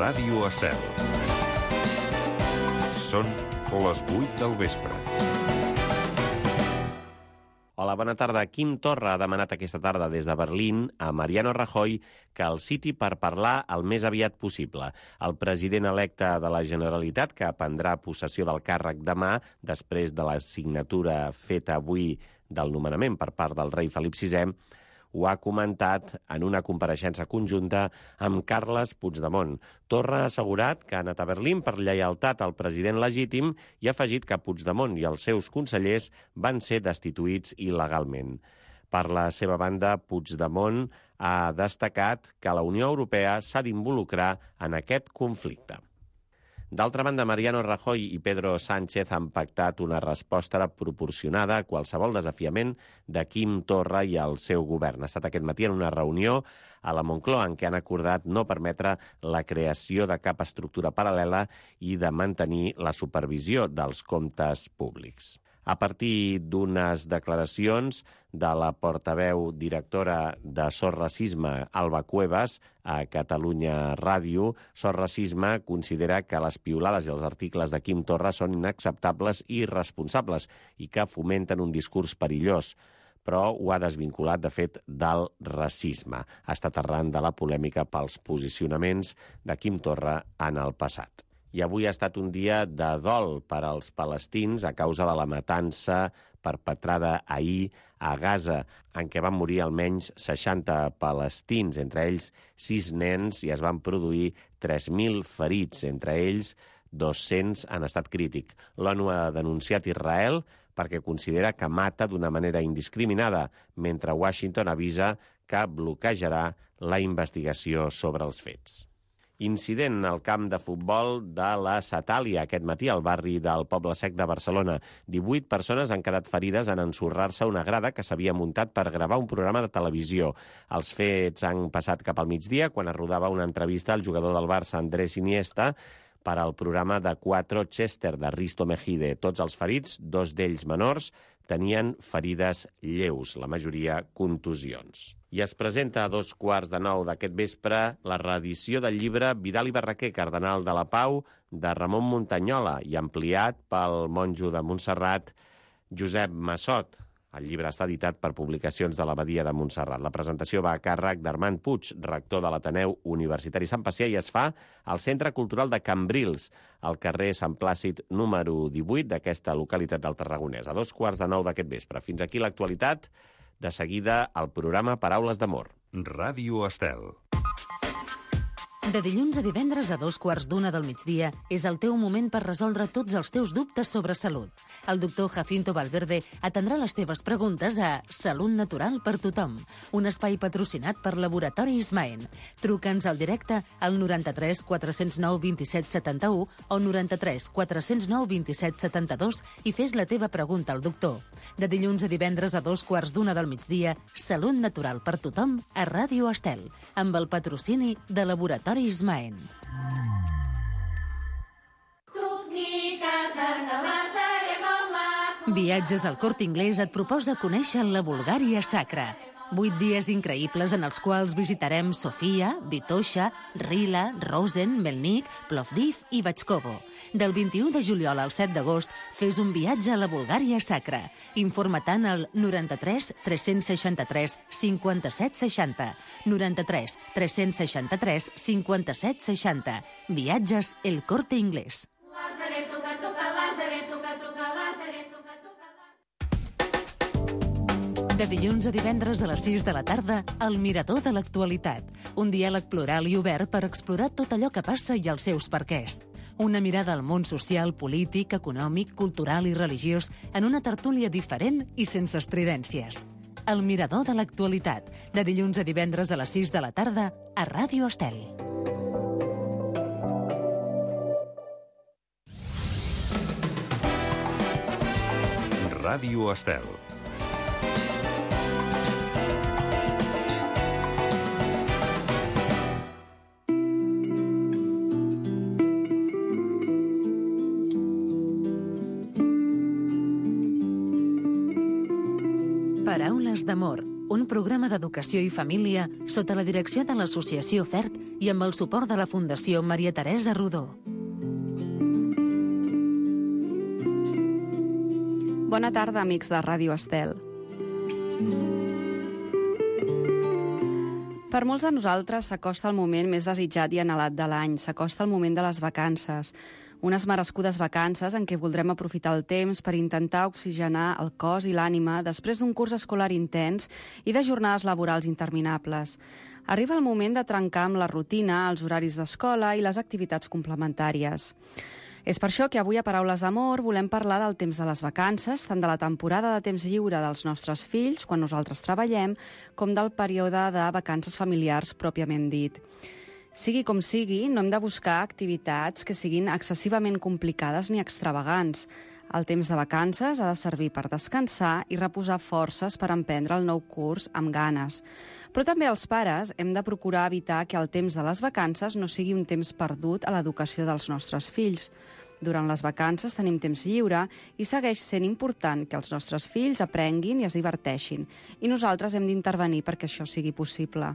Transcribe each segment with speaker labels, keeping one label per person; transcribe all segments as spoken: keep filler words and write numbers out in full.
Speaker 1: Ràdio Estel. Són les vuit del vespre.
Speaker 2: Hola, bona tarda. Quim Torra ha demanat aquesta tarda des de Berlín a Mariano Rajoy que el citi per parlar el més aviat possible. El president electe de la Generalitat, que prendrà possessió del càrrec demà, després de la signatura feta avui del nomenament per part del rei Felip sisè, ho ha comentat en una compareixença conjunta amb Carles Puigdemont. Torra ha assegurat que ha anat a Berlín per lleialtat al president legítim i ha afegit que Puigdemont i els seus consellers van ser destituïts il·legalment. Per la seva banda, Puigdemont ha destacat que la Unió Europea s'ha d'involucrar en aquest conflicte. D'altra banda, Mariano Rajoy i Pedro Sánchez han pactat una resposta proporcionada a qualsevol desafiament de Quim Torra i el seu govern. Ha estat aquest matí en una reunió a la Moncloa en què han acordat no permetre la creació de cap estructura paral·lela i de mantenir la supervisió dels comptes públics. A partir d'unes declaracions de la portaveu directora de Sos Racisme, Alba Cuevas, a Catalunya Ràdio, Sos Racisme considera que les piulades i els articles de Quim Torra són inacceptables i irresponsables i que fomenten un discurs perillós, però ho ha desvinculat, de fet, del racisme. Ha estat arran de la polèmica pels posicionaments de Quim Torra en el passat. I avui ha estat un dia de dol per als palestins a causa de la matança perpetrada ahir a Gaza, en què van morir almenys seixanta palestins, entre ells sis nens, i es van produir tres mil ferits, entre ells dos-cents en estat crític. L'ONU ha denunciat Israel perquè considera que mata d'una manera indiscriminada, mentre Washington avisa que bloquejarà la investigació sobre els fets. Incident al camp de futbol de la Satàlia aquest matí al barri del Poble Sec de Barcelona. divuit persones han quedat ferides en ensorrar-se una grada que s'havia muntat per gravar un programa de televisió. Els fets han passat cap al migdia, quan es rodava una entrevista al jugador del Barça, Andrés Iniesta, per al programa de Cuatro Chester de Risto Mejide. Tots els ferits, dos d'ells menors, tenien ferides lleus, la majoria contusions. I es presenta a dos quarts de nou d'aquest vespre la reedició del llibre Vidal i Barraquer, Cardenal de la Pau, de Ramon Muntanyola, i ampliat pel monjo de Montserrat, Josep Massot. El llibre està editat per Publicacions de l'Abadia de Montserrat. La presentació va a càrrec d'Armand Puig, rector de l'Ateneu Universitari Sant Pacià, i es fa al Centre Cultural de Cambrils, al carrer Sant Plàcid número divuit d'aquesta localitat del Tarragonès, a dos quarts de nou d'aquest vespre. Fins aquí l'actualitat. De seguida, el programa Paraules d'Amor.
Speaker 1: Ràdio Estel.
Speaker 3: De dilluns a divendres a dos quarts d'una del migdia és el teu moment per resoldre tots els teus dubtes sobre salut. El doctor Jacinto Valverde atendrà les teves preguntes a Salut Natural per Tothom, un espai patrocinat per Laboratori Ismaen. Truca'ns al directe al noranta-tres quatre cents nou vint-i-set setanta-u o noranta-tres quatre cents nou vint-i-set setanta-dos i fes la teva pregunta al doctor. De dilluns a divendres a dos quarts d'una del migdia, Salut Natural per Tothom a Ràdio Estel, amb el patrocini de Laboratori Ismaen. Viatges al Corte Inglés et proposa conèixer la Bulgària sacra. Vuit dies increïbles en els quals visitarem Sofia, Vitoša, Rila, Rosen, Melnik, Plovdiv i Batxkovo. Del vint-i-u de juliol al set d'agost fes un viatge a la Bulgària sacra. Informa-te'n al noranta-tres tres cents seixanta-tres cinquanta-set seixanta. noranta-tres tres cents seixanta-tres cinquanta-set seixanta. Viatges El Corte Inglés. De dilluns a divendres a les sis de la tarda, El Mirador de l'Actualitat. Un diàleg plural i obert per explorar tot allò que passa i els seus perquès. Una mirada al món social, polític, econòmic, cultural i religiós en una tertúlia diferent i sense estridències. El Mirador de l'Actualitat. De dilluns a divendres a les sis de la tarda a Ràdio Estel.
Speaker 1: Ràdio Estel.
Speaker 3: Paraules d'amor, un programa d'educació i família sota la direcció de l'Associació FERT i amb el suport de la Fundació Maria Teresa Rodó.
Speaker 4: Bona tarda, amics de Ràdio Estel. Per molts de nosaltres s'acosta el moment més desitjat i anhelat de l'any, s'acosta el moment de les vacances. Unes merescudes vacances en què voldrem aprofitar el temps per intentar oxigenar el cos i l'ànima després d'un curs escolar intens i de jornades laborals interminables. Arriba el moment de trencar amb la rutina, els horaris d'escola i les activitats complementàries. És per això que avui a Paraules d'Amor volem parlar del temps de les vacances, tant de la temporada de temps lliure dels nostres fills, quan nosaltres treballem, com del període de vacances familiars pròpiament dit. Sigui com sigui, no hem de buscar activitats que siguin excessivament complicades ni extravagants. El temps de vacances ha de servir per descansar i reposar forces per emprendre el nou curs amb ganes. Però també els pares hem de procurar evitar que el temps de les vacances no sigui un temps perdut a l'educació dels nostres fills. Durant les vacances tenim temps lliure i segueix sent important que els nostres fills aprenguin i es diverteixin, i nosaltres hem d'intervenir perquè això sigui possible.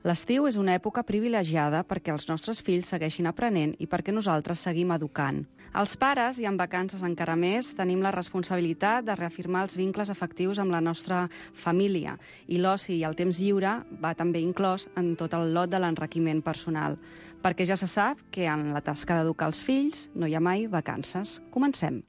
Speaker 4: L'estiu és una època privilegiada perquè els nostres fills segueixin aprenent i perquè nosaltres seguim educant. Els pares, i en vacances encara més, tenim la responsabilitat de reafirmar els vincles afectius amb la nostra família, i l'oci i el temps lliure va també inclòs en tot el lot de l'enriquiment personal, perquè ja se sap que en la tasca d'educar els fills no hi ha mai vacances. Comencem.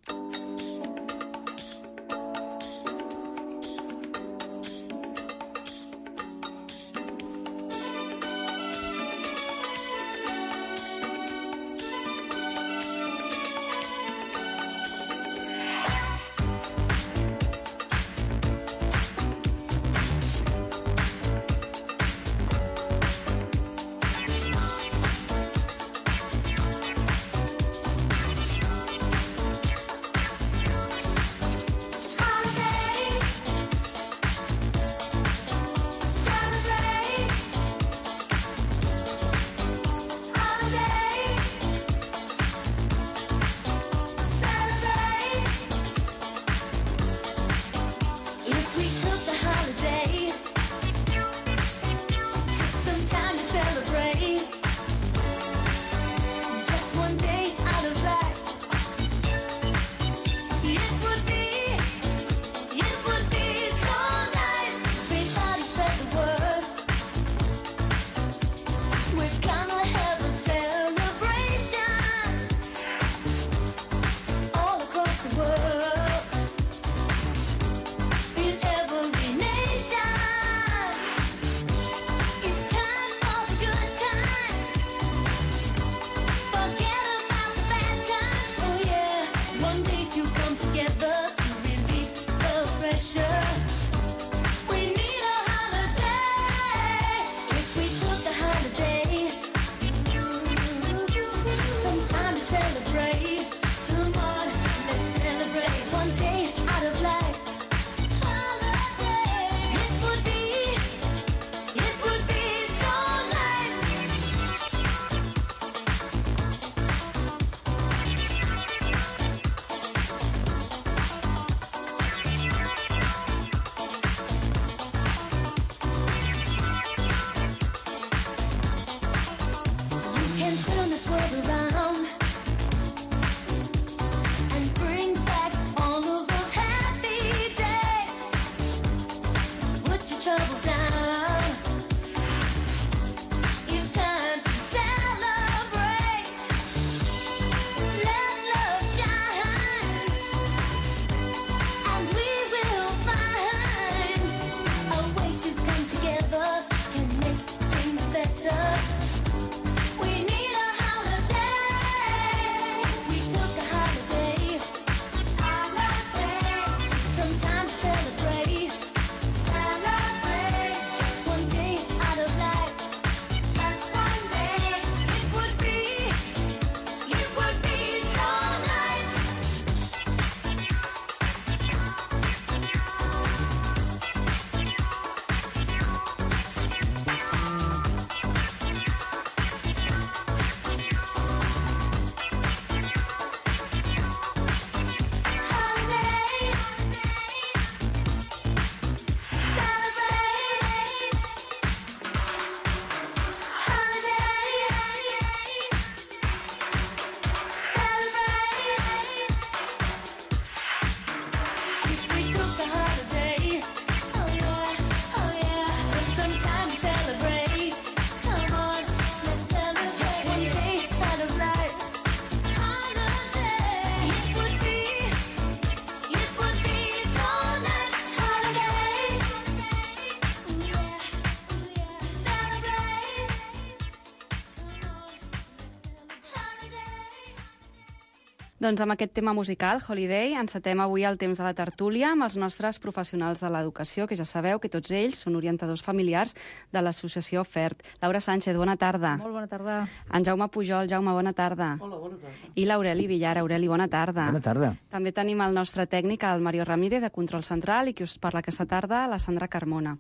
Speaker 4: Doncs amb aquest tema musical, Holiday, encetem avui el temps de la tertúlia amb els nostres professionals de l'educació, que ja sabeu que tots ells són orientadors familiars de l'associació FERT. Laura Sánchez, bona tarda.
Speaker 5: Molt bona tarda.
Speaker 4: En Jaume Pujol, Jaume, bona tarda.
Speaker 6: Hola, bona tarda.
Speaker 4: I l'Aureli Villar, Aureli, bona tarda.
Speaker 7: Bona tarda.
Speaker 4: També tenim el nostre tècnic, el Mario Ramírez, de Control Central, i qui us parla aquesta tarda, la Sandra Carmona.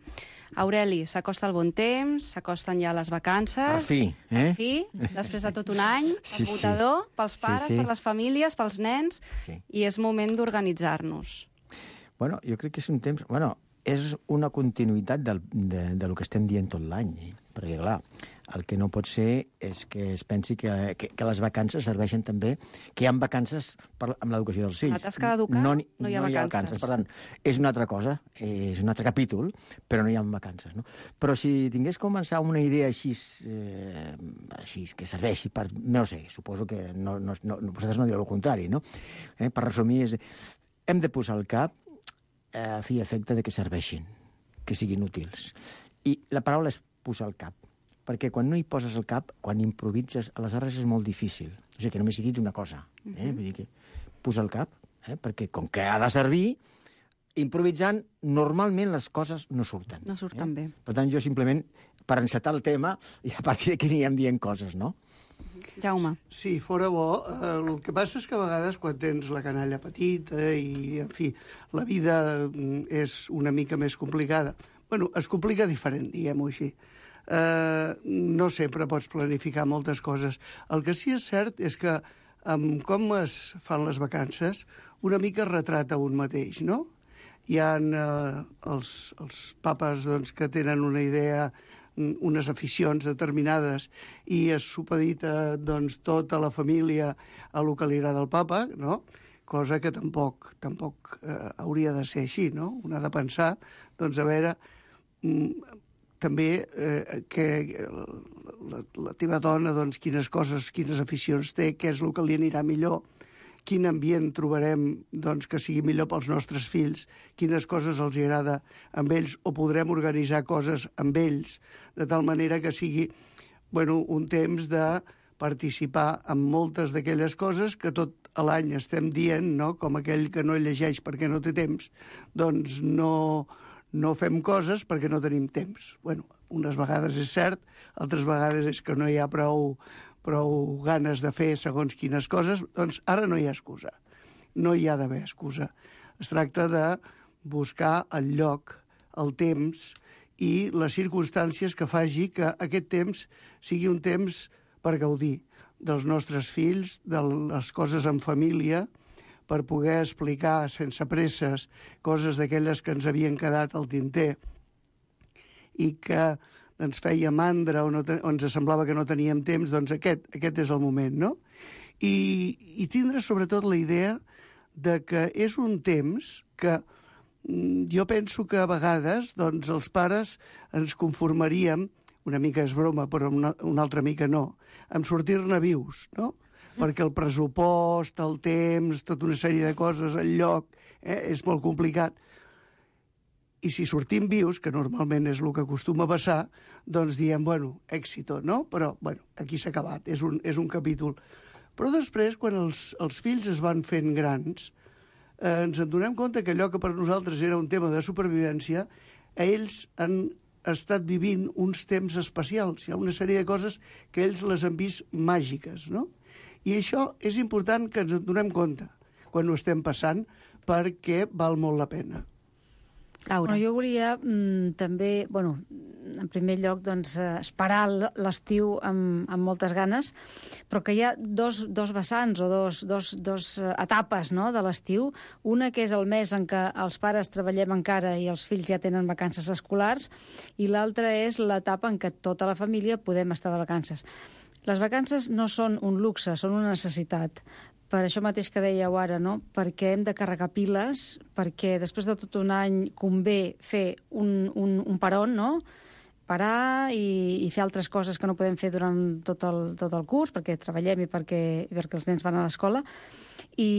Speaker 4: Aureli, s'acosta el bon temps, s'acosten ja les vacances.
Speaker 7: Per fi, eh?
Speaker 4: Per fi, després de tot un any,
Speaker 7: Sí,
Speaker 4: esgotador,
Speaker 7: sí.
Speaker 4: pels pares,
Speaker 7: Sí, sí.
Speaker 4: per les famílies, pels nens,
Speaker 7: Sí.
Speaker 4: i és moment d'organitzar-nos.
Speaker 7: Bueno, jo crec que és un temps... Bueno, és una continuïtat del, de, de lo que estem dient tot l'any, eh? Perquè, clar, el que no pot ser és que es pensi que, que, que les vacances serveixen també, que hi ha vacances per, amb l'educació dels fills.
Speaker 4: La tasca d'educar no, no hi ha
Speaker 7: no
Speaker 4: vacances.
Speaker 7: Hi ha vacances. Per tant, és una altra cosa, és un altre capítol, però no hi ha vacances. No? Però si tingués començar una idea així, eh, així que serveixi per... No sé, suposo que no, no, no, vosaltres no dieu el contrari, no? Eh, per resumir, és, hem de posar al cap eh, a fi i efecte de que serveixin, que siguin útils. I la paraula és posar al cap, perquè quan no hi poses el cap, quan improvises, aleshores és molt difícil. O sigui, que només he dit una cosa, eh? Uh-huh. Vull dir que posar el cap, eh? Perquè com que ha de servir, improvisant, normalment les coses no surten.
Speaker 4: No surten
Speaker 7: eh?
Speaker 4: bé.
Speaker 7: Per tant, jo simplement, per encetar el tema, i a partir d'aquí anirem dient coses, no?
Speaker 4: Jaume.
Speaker 6: Sí, fora bo. Eh, el que passa és que a vegades quan tens la canalla petita i, en fi, la vida mm, és una mica més complicada. Bueno, es complica diferent, diguem-ho així. Eh, no sempre pots planificar moltes coses. El que sí és cert és que amb com es fan les vacances, una mica es retrata un mateix, no? Hi ha eh, els, els papes doncs, que tenen una idea, unes aficions determinades i es supedita doncs, tota la família a lo que li agrada al papa, no? Cosa que tampoc, tampoc eh, hauria de ser així, no? Un ha de pensar, doncs, a veure, mm, també eh, que la, la teva dona, doncs, quines coses, quines aficions té, què és el que li anirà millor, quin ambient trobarem doncs, que sigui millor pels nostres fills, quines coses els agrada amb ells, o podrem organitzar coses amb ells, de tal manera que sigui bueno, un temps de participar en moltes d'aquelles coses que tot l'any estem dient, no? Com aquell que no llegeix perquè no té temps, doncs no, no fem coses perquè no tenim temps. Bueno, unes vegades és cert, altres vegades és que no hi ha prou... prou ganes de fer segons quines coses, doncs ara no hi ha excusa. No hi ha d'haver excusa. Es tracta de buscar el lloc, el temps i les circumstàncies que faci que aquest temps sigui un temps per gaudir dels nostres fills, de les coses en família, per poder explicar sense presses coses d'aquelles que ens havien quedat al tinter i que ens feia mandra o, no ten... o ens semblava que no teníem temps, doncs aquest, aquest és el moment, no? I, i tindre sobretot la idea de que és un temps que mm, jo penso que a vegades doncs, els pares ens conformaríem, una mica és broma, però una, una altra mica no, amb sortir-ne vius, no? Perquè el pressupost, el temps, tota una sèrie de coses, el lloc, eh, és molt complicat. I si sortim vius, que normalment és el que acostuma a passar, doncs diem, bueno, èxito, no? Però, bueno, aquí s'ha acabat, és un, és un capítol. Però després, quan els, els fills es van fent grans, eh, ens en donem compte que allò que per nosaltres era un tema de supervivència, a ells han estat vivint uns temps especials. Hi ha una sèrie de coses que ells les han vist màgiques, no? I això és important que ens en donem compte quan ho estem passant, perquè val molt la pena.
Speaker 4: Laura.
Speaker 5: Bueno, jo volia mm, també, bueno, en primer lloc, doncs, eh, esperar l'estiu amb, amb moltes ganes, però que hi ha dos, dos vessants o dos, dos, dos etapes, no?, de l'estiu. Una que és el mes en què els pares treballem encara i els fills ja tenen vacances escolars, i l'altra és l'etapa en què tota la família podem estar de vacances. Les vacances no són un luxe, són una necessitat. Per això mateix que dèieu ara, no? Perquè hem de carregar piles, perquè després de tot un any convé fer un, un, un peron, no? Parar i, i fer altres coses que no podem fer durant tot el, tot el curs, perquè treballem i perquè, i perquè els nens van a l'escola. i,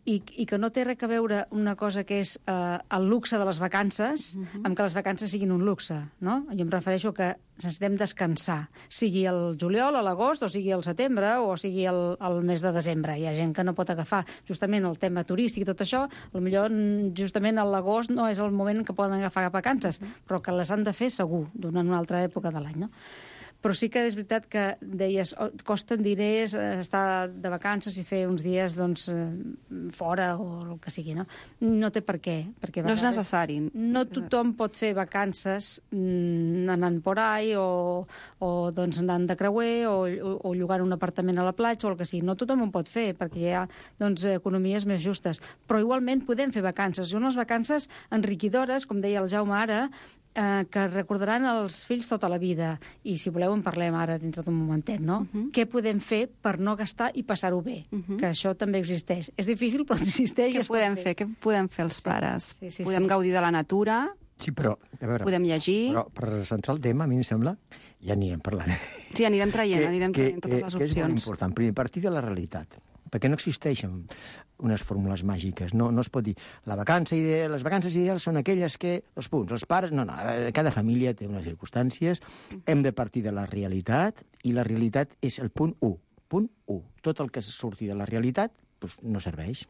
Speaker 5: i, i que no té res a veure una cosa que és eh, el luxe de les vacances uh-huh. amb que les vacances siguin un luxe, no? Jo em refereixo que necessitem descansar, sigui el juliol, a l'agost, o sigui el setembre, o sigui el, el mes de desembre. Hi ha gent que no pot agafar justament el tema turístic i tot això, potser justament a l'agost no és el moment que poden agafar vacances, però que les han de fer segur, durant una altra època de l'any, no? Però sí que és veritat que deies, oh, costen diners estar de vacances i fer uns dies doncs, fora o el que sigui, no? No té per què. Perquè
Speaker 4: no és necessari.
Speaker 5: No tothom pot fer vacances mm, anant por ahí o, o doncs, anant de creuer o, o, o llogant un apartament a la platja o el que sigui. No tothom ho pot fer perquè hi ha doncs, economies més justes. Però igualment podem fer vacances. I unes vacances enriquidores, com deia el Jaume ara, Eh, que recordaran els fills tota la vida. I si voleu en parlem ara dintre d'un momentet, no? Uh-huh. Què podem fer per no gastar i passar-ho bé? Uh-huh. Que això també existeix. És difícil, però existeix.
Speaker 4: Què podem fer? Què podem fer els pares?
Speaker 5: Sí, sí, sí,
Speaker 4: podem
Speaker 5: sí.
Speaker 4: gaudir de la natura?
Speaker 7: Sí, però, a veure...
Speaker 4: Podem llegir?
Speaker 7: Però per centrar el tema, a mi em sembla, ja anirem parlant.
Speaker 4: Sí, anirem traient, que, anirem traient
Speaker 7: que,
Speaker 4: totes les
Speaker 7: que
Speaker 4: opcions.
Speaker 7: Que és molt important. Primer, partir de la realitat. Perquè no existeixen unes fórmules màgiques. No, no es pot dir, la vacança ideal, les vacances ideals són aquelles que, els punts, els pares... No, no, cada família té unes circumstàncies, hem de partir de la realitat, i la realitat és el punt u. Punt u. Tot el que surti de la realitat doncs no serveix.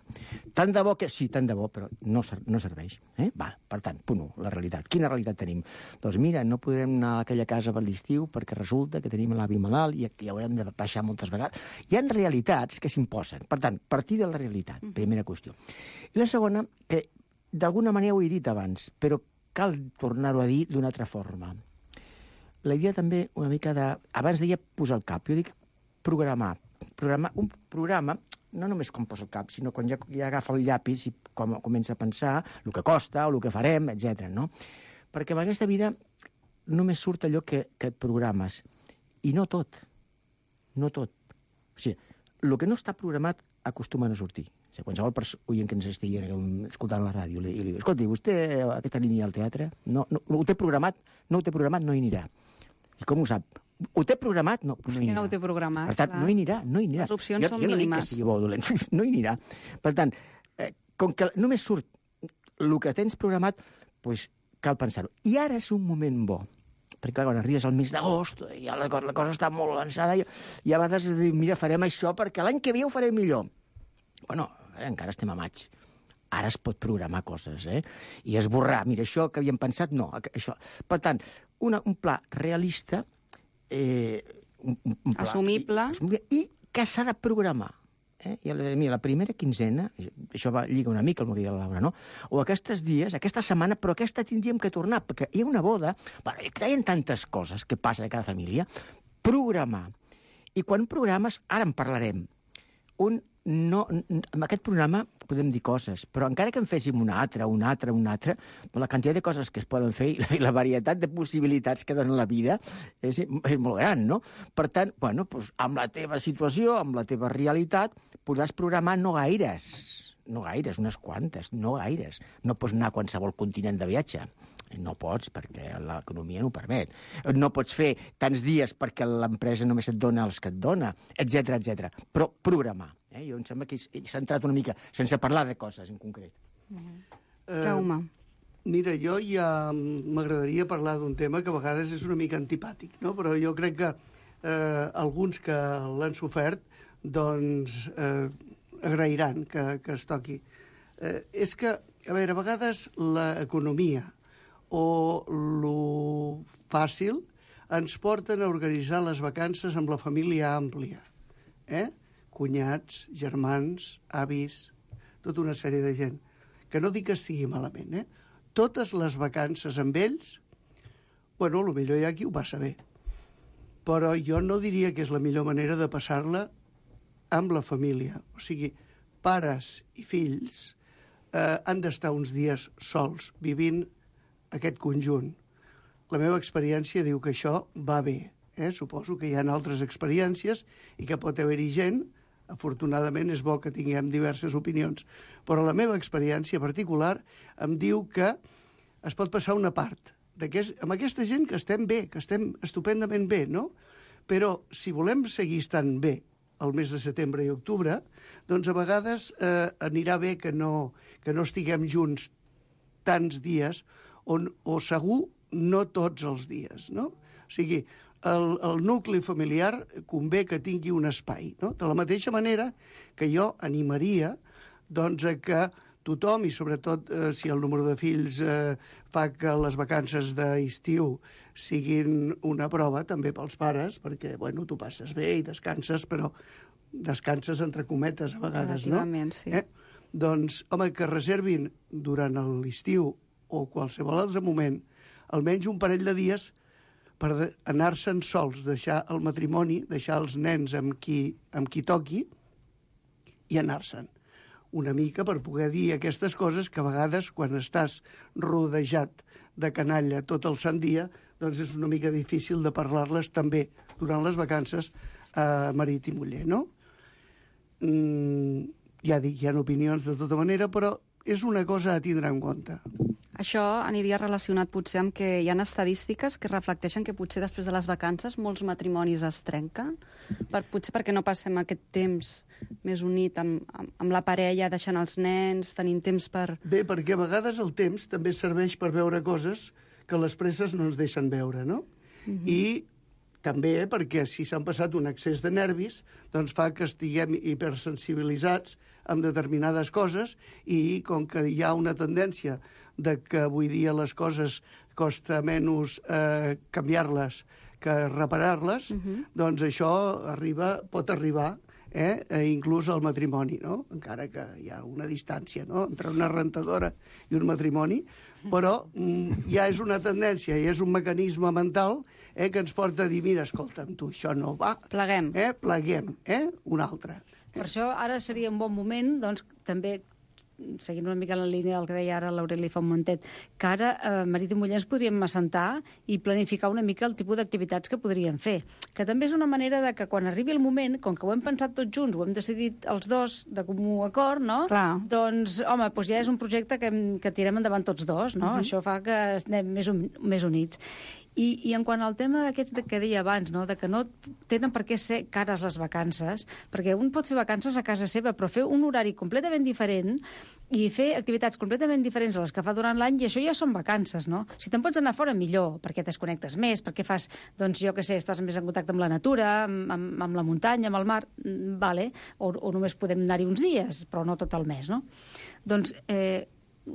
Speaker 7: Tant de bo que... Sí, tant de bo, però no, no serveix. Eh? Va, per tant, punt u, la realitat. Quina realitat tenim? Doncs mira, no podem anar a aquella casa per l'estiu perquè resulta que tenim l'avi malalt i hi haurem de baixar moltes vegades. Hi ha realitats que s'imposen. Per tant, partir de la realitat, primera qüestió. I la segona, que d'alguna manera ho he dit abans, però cal tornar-ho a dir d'una altra forma. La idea també una mica de... Abans deia posar el cap, jo dic programar. Programar un programa no només com posa el cap, sinó quan ja, ja agafa el llapis i com, comença a pensar el que costa o el que farem, etcètera. No? Perquè en aquesta vida només surt allò que, que et programes. I no tot. No tot. O sigui, el que no està programat acostuma a no sortir. O sigui, qualsevol oient que ens estigui escoltant la ràdio li, li diu, escolti, vostè aquesta línia al teatre no, no, no ho té programat, no ho té programat, no hi anirà. I com ho sap? Ho té programat? No, no hi anirà.
Speaker 4: No ho té programat.
Speaker 7: Per tant, clar. no hi anirà, no hi anirà.
Speaker 4: Les opcions
Speaker 7: jo,
Speaker 4: són
Speaker 7: jo no
Speaker 4: mínimes.
Speaker 7: Dic que sigui bo o dolent, no hi anirà. Per tant, eh, com que només surt el que tens programat, doncs cal pensar-ho. I ara és un moment bo, perquè clar, quan arribes al mes d'agost, ja la, la cosa està molt avançada, i, i a vegades dius, mira, farem això perquè l'any que ve ho farem millor. Bueno, eh, encara estem a maig. Ara es pot programar coses, eh? I esborrar, mira, això que havíem pensat, no, això. Per tant, una, un pla realista, eh, un, un pla,
Speaker 4: assumible,
Speaker 7: i, i que s'ha de programar. Eh? I la, mira, la primera quinzena, això va lliga una mica el que deia la Laura, no? O aquests dies, aquesta setmana, però aquesta tindríem que tornar, perquè hi ha una boda, bueno, hi ha tantes coses que passen a cada família, programar. I quan programes, ara en parlarem, un no, amb aquest programa podem dir coses, però encara que en féssim una altra, una altra, una altra, la quantitat de coses que es poden fer i la, i la varietat de possibilitats que dona la vida és, és molt gran, no? Per tant, bueno, doncs, amb la teva situació, amb la teva realitat, podràs programar no gaires, no gaires, unes quantes, no gaires. No pots anar a qualsevol continent de viatge. No pots, perquè l'economia no ho permet. No pots fer tants dies perquè l'empresa només et dona els que et dona, etcètera, etcètera. Però programar. Eh? Jo em sembla que s'ha entrat una mica, sense parlar de coses en concret.
Speaker 4: Uh-huh. Jaume.
Speaker 6: Eh, mira, jo ja m'agradaria parlar d'un tema que a vegades és una mica antipàtic, no? Però jo crec que eh, alguns que l'han sofert doncs eh, agrairan que, que es toqui. Eh, és que, a veure, a vegades l'economia o lo fàcil ens porten a organitzar les vacances amb la família àmplia. Eh? Cunyats, germans, avis, tota una sèrie de gent. Que no dic que estigui malament, eh? Totes les vacances amb ells, bueno, potser hi ha qui ho passa bé. Però jo no diria que és la millor manera de passar-la amb la família. O sigui, pares i fills eh, han d'estar uns dies sols, vivint aquest conjunt. La meva experiència diu que això va bé. Eh? Suposo que hi ha altres experiències i que pot haver-hi gent, afortunadament és bo que tinguem diverses opinions, però la meva experiència particular em diu que es pot passar una part amb aquesta gent que estem bé, que estem estupendament bé, no? Però si volem seguir estant bé el mes de setembre i octubre, doncs a vegades eh, anirà bé que no, que no estiguem junts tants dies, on, o segur no tots els dies, no? O sigui, el, el nucli familiar convé que tingui un espai, no? De la mateixa manera que jo animaria doncs, a que tothom, i sobretot eh, si el número de fills eh, fa que les vacances d'estiu siguin una prova, també pels pares, perquè, bueno, tu passes bé i descanses, però descanses entre cometes a vegades, no?
Speaker 4: Sí.
Speaker 6: Eh? Doncs, home, que reservin durant l'estiu o qualsevol altre moment almenys un parell de dies per anar-se'n sols, deixar el matrimoni, deixar els nens amb qui, amb qui toqui i anar-se'n una mica per poder dir aquestes coses que a vegades, quan estàs rodejat de canalla tot el sant dia, doncs és una mica difícil de parlar-les també durant les vacances a marit i muller, no? Mm, ja dic, hi ha opinions de tota manera, però és una cosa a tindre en compte.
Speaker 4: Això aniria relacionat potser amb que hi ha estadístiques que reflecteixen que potser després de les vacances molts matrimonis es trenquen, per, potser perquè no passem aquest temps més unit amb, amb, amb la parella, deixant els nens, tenint temps per...
Speaker 6: Bé, perquè a vegades el temps també serveix per veure coses que les presses no ens deixen veure, no? Uh-huh. I també perquè si s'han passat un excés de nervis, doncs fa que estiguem hipersensibilitzats amb determinades coses i com que hi ha una tendència de que avui dia les coses costa menys eh, canviar-les que reparar-les, uh-huh. doncs això arriba, pot arribar eh, inclús al matrimoni, no? Encara que hi ha una distància, no?, entre una rentadora i un matrimoni, però mm, ja és una tendència i és un mecanisme mental eh, que ens porta a dir, mira, escolta'm, tu, això no va.
Speaker 4: Pleguem.
Speaker 6: Eh, pleguem, eh? Un altre.
Speaker 5: Per això ara seria un bon moment, doncs, també, seguint una mica en la línia del que deia ara l'Aureli fa un momentet, que ara eh, marit i muller ens podríem assentar i planificar una mica el tipus d'activitats que podríem fer. Que també és una manera de que quan arribi el moment, com que ho hem pensat tots junts, ho hem decidit els dos de comú acord, no?
Speaker 4: Clar.
Speaker 5: Doncs, home, doncs ja és un projecte que, hem, que tirem endavant tots dos, no? Uh-huh. Això fa que estem més, un, més units. I, I en quant al tema d'aquests que deia abans, no? De que no tenen per què ser cares les vacances, perquè un pot fer vacances a casa seva, però fer un horari completament diferent i fer activitats completament diferents a les que fa durant l'any, i això ja són vacances, no? Si te'n pots anar fora, millor, perquè t'esconnectes més, perquè fas, doncs jo què sé, estàs més en contacte amb la natura, amb, amb, amb la muntanya, amb el mar, vale, o, o només podem anar-hi uns dies, però no tot el mes, no? Doncs eh,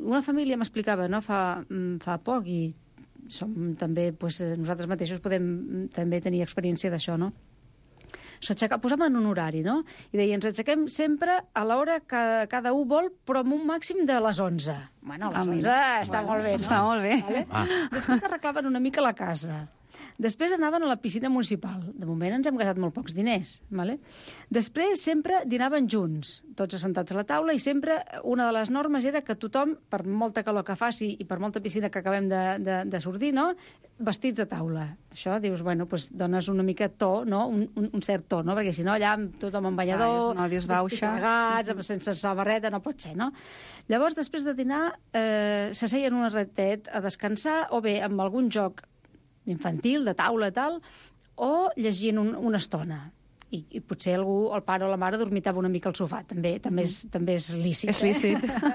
Speaker 5: una família m'explicava, no?, fa, fa poc, i som també, doncs, nosaltres mateixos podem també tenir experiència d'això, no? Posaven un horari, no? I deien, ens aixequem sempre a l'hora que cada un vol, però amb un màxim de les onze. Bueno, a les onze està molt bé, no?
Speaker 4: Està molt bé.
Speaker 5: Vale? Ah. Després arreglaven una mica la casa. Després anaven a la piscina municipal. De moment ens hem gastat molt pocs diners. Vale? Després sempre dinaven junts, tots assentats a la taula, i sempre una de les normes era que tothom, per molta calor que faci i per molta piscina que acabem de, de, de sortir, no?, vestits a taula. Això, dius, bueno, doncs dones una mica to, no?, un, un, un cert to, no?, perquè si no, allà tothom amb ballador,
Speaker 4: ah,
Speaker 5: desplegats, sense samarreta, no pot ser, no? Llavors, després de dinar, eh, s'asseien un ratet a descansar, o bé amb algun joc infantil, de taula, tal, o llegint un, una estona. I, I potser algú, el pare o la mare, dormitava una mica al sofà. També també és, també és lícit.
Speaker 4: És lícit.
Speaker 5: Eh?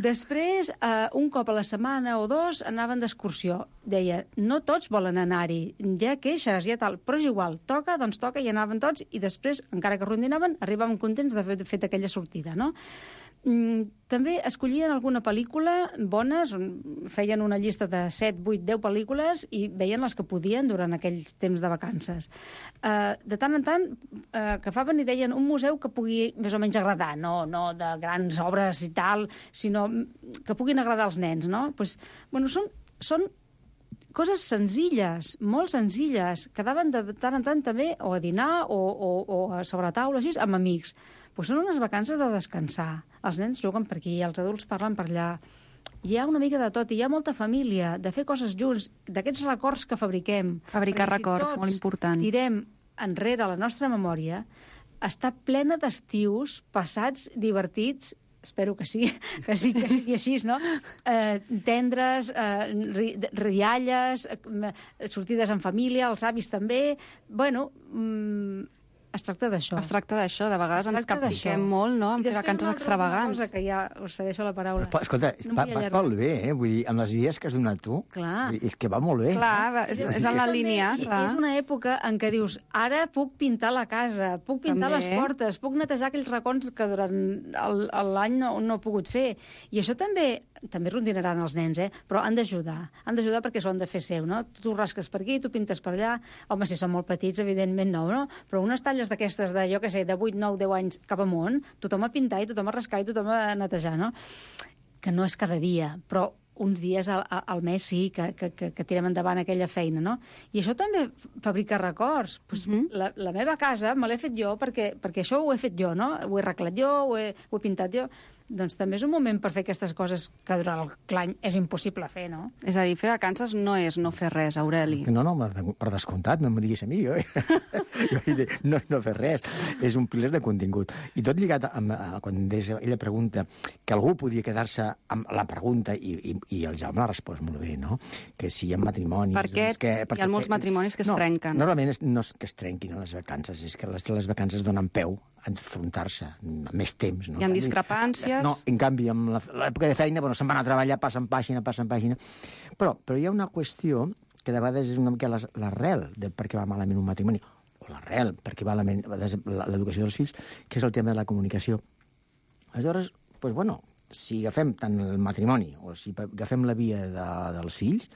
Speaker 5: Després, eh, un cop a la setmana o dos, anaven d'excursió. Deia, no tots volen anar-hi, hi ha queixes, hi ha tal, però és igual, toca, doncs toca, i anaven tots, i després, encara que rondinaven, arribaven contents d'haver fet aquella sortida, no? Mm, també escollien alguna pel·lícula bones, feien una llista de set, vuit, deu pel·lícules i veien les que podien durant aquell temps de vacances. Uh, de tant en tant uh, agafaven i deien un museu que pugui més o menys agradar, no, no de grans obres i tal, sinó que puguin agradar als nens, no? Pues, bueno, són, són coses senzilles, molt senzilles, quedaven de tant en tant també o a dinar o, o, o a sobre taula, així, amb amics. Pues són unes vacances de descansar. Els nens juguen per aquí, els adults parlen per allà. Hi ha una mica de tot, i hi ha molta família, de fer coses junts, d'aquests records que fabriquem.
Speaker 4: Fabricar records, molt important.
Speaker 5: Tirem enrere la nostra memòria, està plena d'estius passats, divertits, espero que sí, que sí, que sigui així, no? Eh, tendres, eh, ri, rialles, eh, sortides en família, els avis també. Bueno, mm, Es tracta d'això.
Speaker 4: Es tracta d'això, de vegades ens
Speaker 5: tracta d'això.
Speaker 4: capfiquem molt, no?, amb
Speaker 5: I
Speaker 4: fer
Speaker 5: després
Speaker 4: vacances
Speaker 5: una altra
Speaker 4: extravagants.
Speaker 5: cosa que ja us cedeixo la paraula.
Speaker 7: Però, escolta,
Speaker 5: No
Speaker 7: va,
Speaker 5: m'hi
Speaker 7: vas
Speaker 5: allargaré.
Speaker 7: pel bé, eh? Vull dir, amb les idees que has donat tu,
Speaker 5: Clar.
Speaker 7: vull dir, és que va molt bé.
Speaker 4: Clar, és, és en la
Speaker 5: També,
Speaker 4: línia,
Speaker 5: i-
Speaker 4: clar.
Speaker 5: És una època en què dius, ara puc pintar la casa, puc pintar
Speaker 4: També.
Speaker 5: les portes, puc netejar aquells racons que durant el- l'any no, no he pogut fer. I això també també rondinaran els nens, eh? Però han d'ajudar. Han d'ajudar perquè s'ho han de fer seu, no? Tu rasques per aquí, tu pintes per allà. Home, si són molt petits, evidentment no, no? Però unes talles d'aquestes de, jo què sé, de vuit, nou, deu anys cap amunt, tothom a pintar i tothom a rascar i tothom a netejar, no? Que no és cada dia, però uns dies al, al mes sí que, que, que, que tirem endavant aquella feina, no? I això també fabrica records. Pues,
Speaker 4: Mhm.
Speaker 5: la, la meva casa me l'he fet jo perquè, perquè això ho he fet jo, no? Ho he arreglat jo, ho he, ho he pintat jo. Doncs també és un moment per fer aquestes coses que durant l'any és impossible fer, no?
Speaker 4: És a dir, fer vacances no és no fer res, Aureli.
Speaker 7: No, no, per descomptat, no m'ho diguis a mi, jo. jo vull dir, no, no fer res, és un pilar de contingut. I tot lligat amb, a, quan des, ella pregunta que algú podia quedar-se amb la pregunta i, i, i el Jaume l'ha respost molt bé, no? Que si hi ha matrimonis...
Speaker 4: Per què
Speaker 7: doncs que,
Speaker 4: hi ha molts matrimonis que es
Speaker 7: no,
Speaker 4: trenquen?
Speaker 7: Normalment és, no és que es trenquin les vacances, és que les, les vacances donen peu a enfrontar-se amb més temps. No?
Speaker 4: Hi ha discrepàncies?
Speaker 7: No, en canvi, amb la- l'època de feina, bueno, se'n van a treballar, passen pàgina, passen pàgina. Però, però hi ha una qüestió que de vegades és una mica les- l'arrel de per què va malament un matrimoni, o l'arrel per què va malament l'educació dels fills, que és el tema de la comunicació. Aleshores, doncs, bueno, si agafem tant el matrimoni o si agafem la via de, dels fills,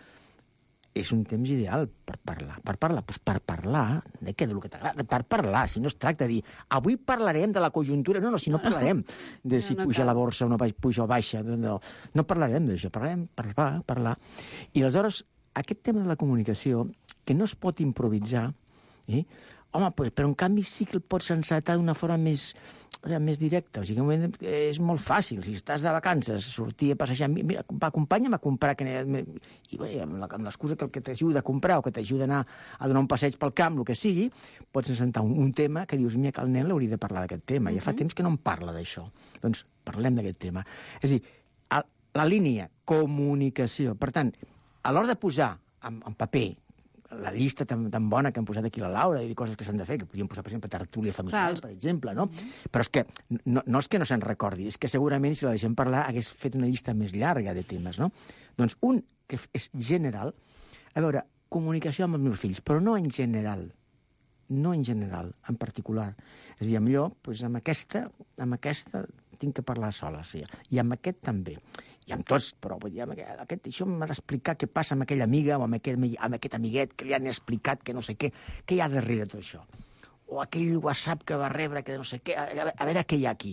Speaker 7: és un temps ideal per parlar. Per parlar, doncs per parlar de què, del que t'agrada, per parlar, si no es tracta de dir avui parlarem de la conjuntura, no, no, si no parlarem de si
Speaker 4: No, no
Speaker 7: puja
Speaker 4: cal.
Speaker 7: la borsa o no puja o baixa, no, no, no parlarem d'això, parlarem, parlar, parlar. I aleshores, aquest tema de la comunicació, que no es pot improvisar, eh? Home, pues, però en canvi sí que el pots encetar d'una forma més, o sigui, més directa. O sigui, és molt fàcil. Si estàs de vacances, sortir a passejar... Mira, acompanya'm a comprar... Que... I bé, amb l'excusa que el que t'ajuda a comprar o que t'ajuda a anar a donar un passeig pel camp, el que sigui, pots encetar un, un tema que dius, mira, que el nen l'hauria de parlar d'aquest tema. Uh-huh. Ja fa temps que no em parla d'això. Doncs parlem d'aquest tema. És a dir, a, la línia comunicació. Per tant, a l'hora de posar en, en paper la llista tan, tan bona que han posat aquí la Laura i coses que s'han de fer, que podríem posar, per exemple, tertúlia familiar,
Speaker 4: Clar.
Speaker 7: per exemple, no? Mm-hmm. Però és que no, no és que no se'n recordi, és que segurament si la deixem parlar hagués fet una llista més llarga de temes, no? Doncs un que és general, a veure, comunicació amb els meus fills, però no en general, no en general, en particular. És a dir, millor, doncs amb aquesta, amb aquesta tinc que parlar sola, sí. I amb aquest també. I amb tots, però vull dir, amb aquest, aquest, això m'ha d'explicar què passa amb aquella amiga o amb aquest, amb aquest amiguet que li han explicat que no sé què, què hi ha darrere tot això. O aquell WhatsApp que va rebre que no sé què, a, a, a veure què hi ha aquí.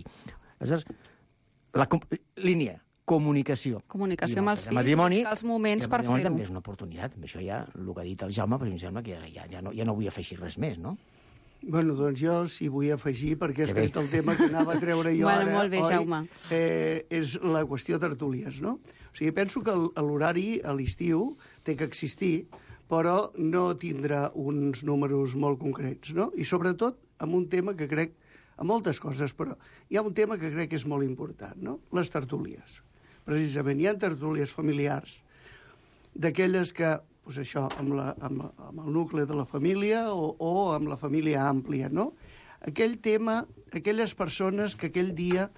Speaker 7: Aleshores, la com, línia, comunicació.
Speaker 4: Comunicació
Speaker 7: I
Speaker 4: amb els
Speaker 7: el
Speaker 4: fills,
Speaker 7: matrimoni,
Speaker 4: buscar els moments
Speaker 7: i el
Speaker 4: per
Speaker 7: matrimoni
Speaker 4: fer-ho.
Speaker 7: també és una oportunitat. Amb això ja, el que ha dit el Jaume, però em sembla que ja, ja, ja, no, ja no vull afegir res més, no?
Speaker 6: Bueno, doncs jo sí vull afegir, perquè és
Speaker 7: Que bé.
Speaker 6: que el tema que anava a treure jo
Speaker 4: Bueno,
Speaker 6: ara,
Speaker 4: molt bé,
Speaker 6: oi,
Speaker 4: Jaume.
Speaker 6: Eh, és la qüestió tertúlies, no? O sigui, penso que el- l'horari a l'estiu té que existir, però no tindrà uns números molt concrets, no? I sobretot amb un tema que crec, amb moltes coses, però hi ha un tema que crec que és molt important, no? Les tertúlies. Precisament, hi ha tertúlies familiars d'aquelles que, doncs això, amb, la, amb, la, amb el nucli de la família o, o amb la família àmplia, no? Aquell tema, aquelles persones que aquell dia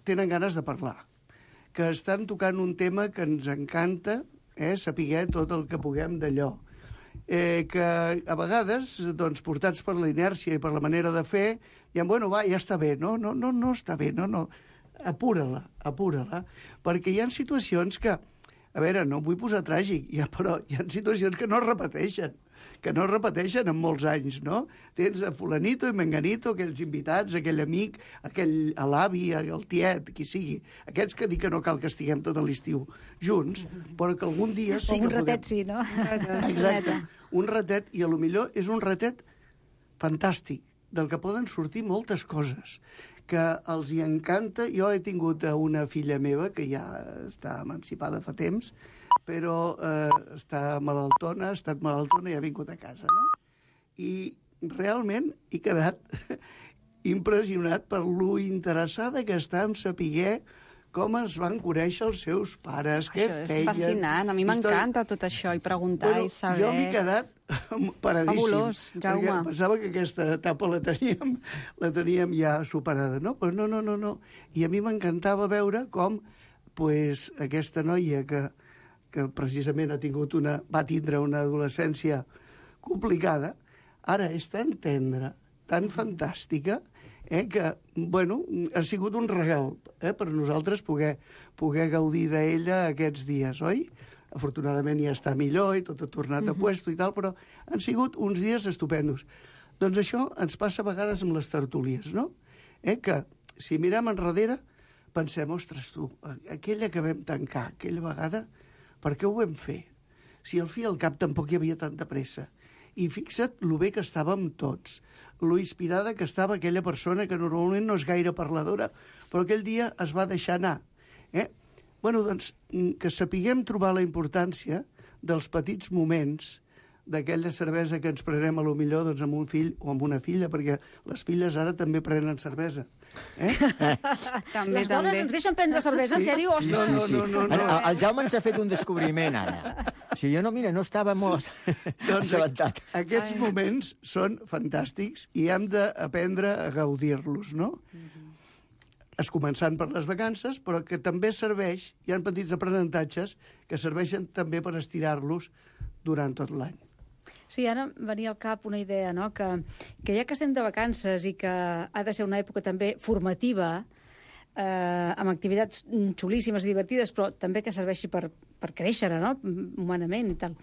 Speaker 6: tenen ganes de parlar, que estan tocant un tema que ens encanta, eh, saber tot el que puguem d'allò. Eh, que a vegades, doncs, portats per la inèrcia i per la manera de fer, diem, bueno, va, ja està bé, no, no, no, no està bé, no, no, apura-la, apura-la, perquè hi ha situacions que, a veure, no em vull posar tràgic, ja, però hi ha situacions que no es repeteixen, que no es repeteixen en molts anys, no? Tens a fulanito i menganito, aquells invitats, aquell amic, aquell l'avi, el tiet, qui sigui, aquests que dic que no cal que estiguem tot l'estiu junts, però que algun dia sí
Speaker 5: O
Speaker 6: que
Speaker 5: un ratet
Speaker 6: podem...
Speaker 5: sí, no?
Speaker 6: Exacte, un ratet, i a lo millor és un ratet fantàstic, del que poden sortir moltes coses, que els hi encanta. Jo he tingut una filla meva, que ja està emancipada fa temps, però eh, està malaltona, ha estat malaltona i ha vingut a casa, no? I realment he quedat impressionat per lo interessada que està en saber com es van conèixer els seus pares, què
Speaker 4: Això és
Speaker 6: feien...
Speaker 4: fascinant, a mi m'encanta tot això, i preguntar
Speaker 6: Bueno,
Speaker 4: i saber...
Speaker 6: jo m'he quedat paradíssim.
Speaker 4: Fabulós, Jaume.
Speaker 6: Perquè pensava que aquesta etapa la teníem, la teníem ja superada, no? Però no, no, no, no. I a mi m'encantava veure com pues, aquesta noia que, que precisament ha tingut una, va tindre una adolescència complicada, ara és tan tendra, tan fantàstica, eh, que, bueno, ha sigut un regal eh, per nosaltres poder, poder gaudir d'ella aquests dies, oi? Afortunadament ja està millor i tot ha tornat a puesto i tal, però han sigut uns dies estupendos. Doncs això ens passa a vegades amb les tertúlies, no? Eh, que si mirem enrere pensem, ostres, tu, aquella que vam tancar, aquella vegada, per què ho vam fer? Si al fi i al cap tampoc hi havia tanta pressa. I fixa't lo bé que estàvem tots, lo inspirada que estava aquella persona que normalment no és gaire parladora, però aquell dia es va deixar anar. Eh? Bueno, doncs, que sapiguem trobar la importància dels petits moments d'aquella cervesa que ens prenem a lo millor doncs, amb un fill o amb una filla, perquè les filles ara també prenen cervesa. Eh?
Speaker 4: També,
Speaker 5: Les dones
Speaker 4: també.
Speaker 5: ens deixen prendre cervesa, en sèrio?
Speaker 7: Sí,
Speaker 5: Ostres.
Speaker 7: sí,
Speaker 6: No,
Speaker 7: sí.
Speaker 6: no, no, no,
Speaker 7: El,
Speaker 6: no.
Speaker 7: el Jaume ens ha fet un descobriment, ara. O sigui, jo no, mira, no estava molt
Speaker 6: Doncs
Speaker 7: assabentat.
Speaker 6: aquests
Speaker 4: Ai.
Speaker 6: moments són fantàstics i hem d'aprendre a gaudir-los, no? Es començant per les vacances, però que també serveix, hi ha petits aprenentatges que serveixen també per estirar-los durant tot l'any.
Speaker 5: Sí, ara em venia al cap una idea, no? que, que ja que estem de vacances i que ha de ser una època també formativa, eh, amb activitats xulíssimes, divertides, però també que serveixi per, per créixer, no? Humanament i tal.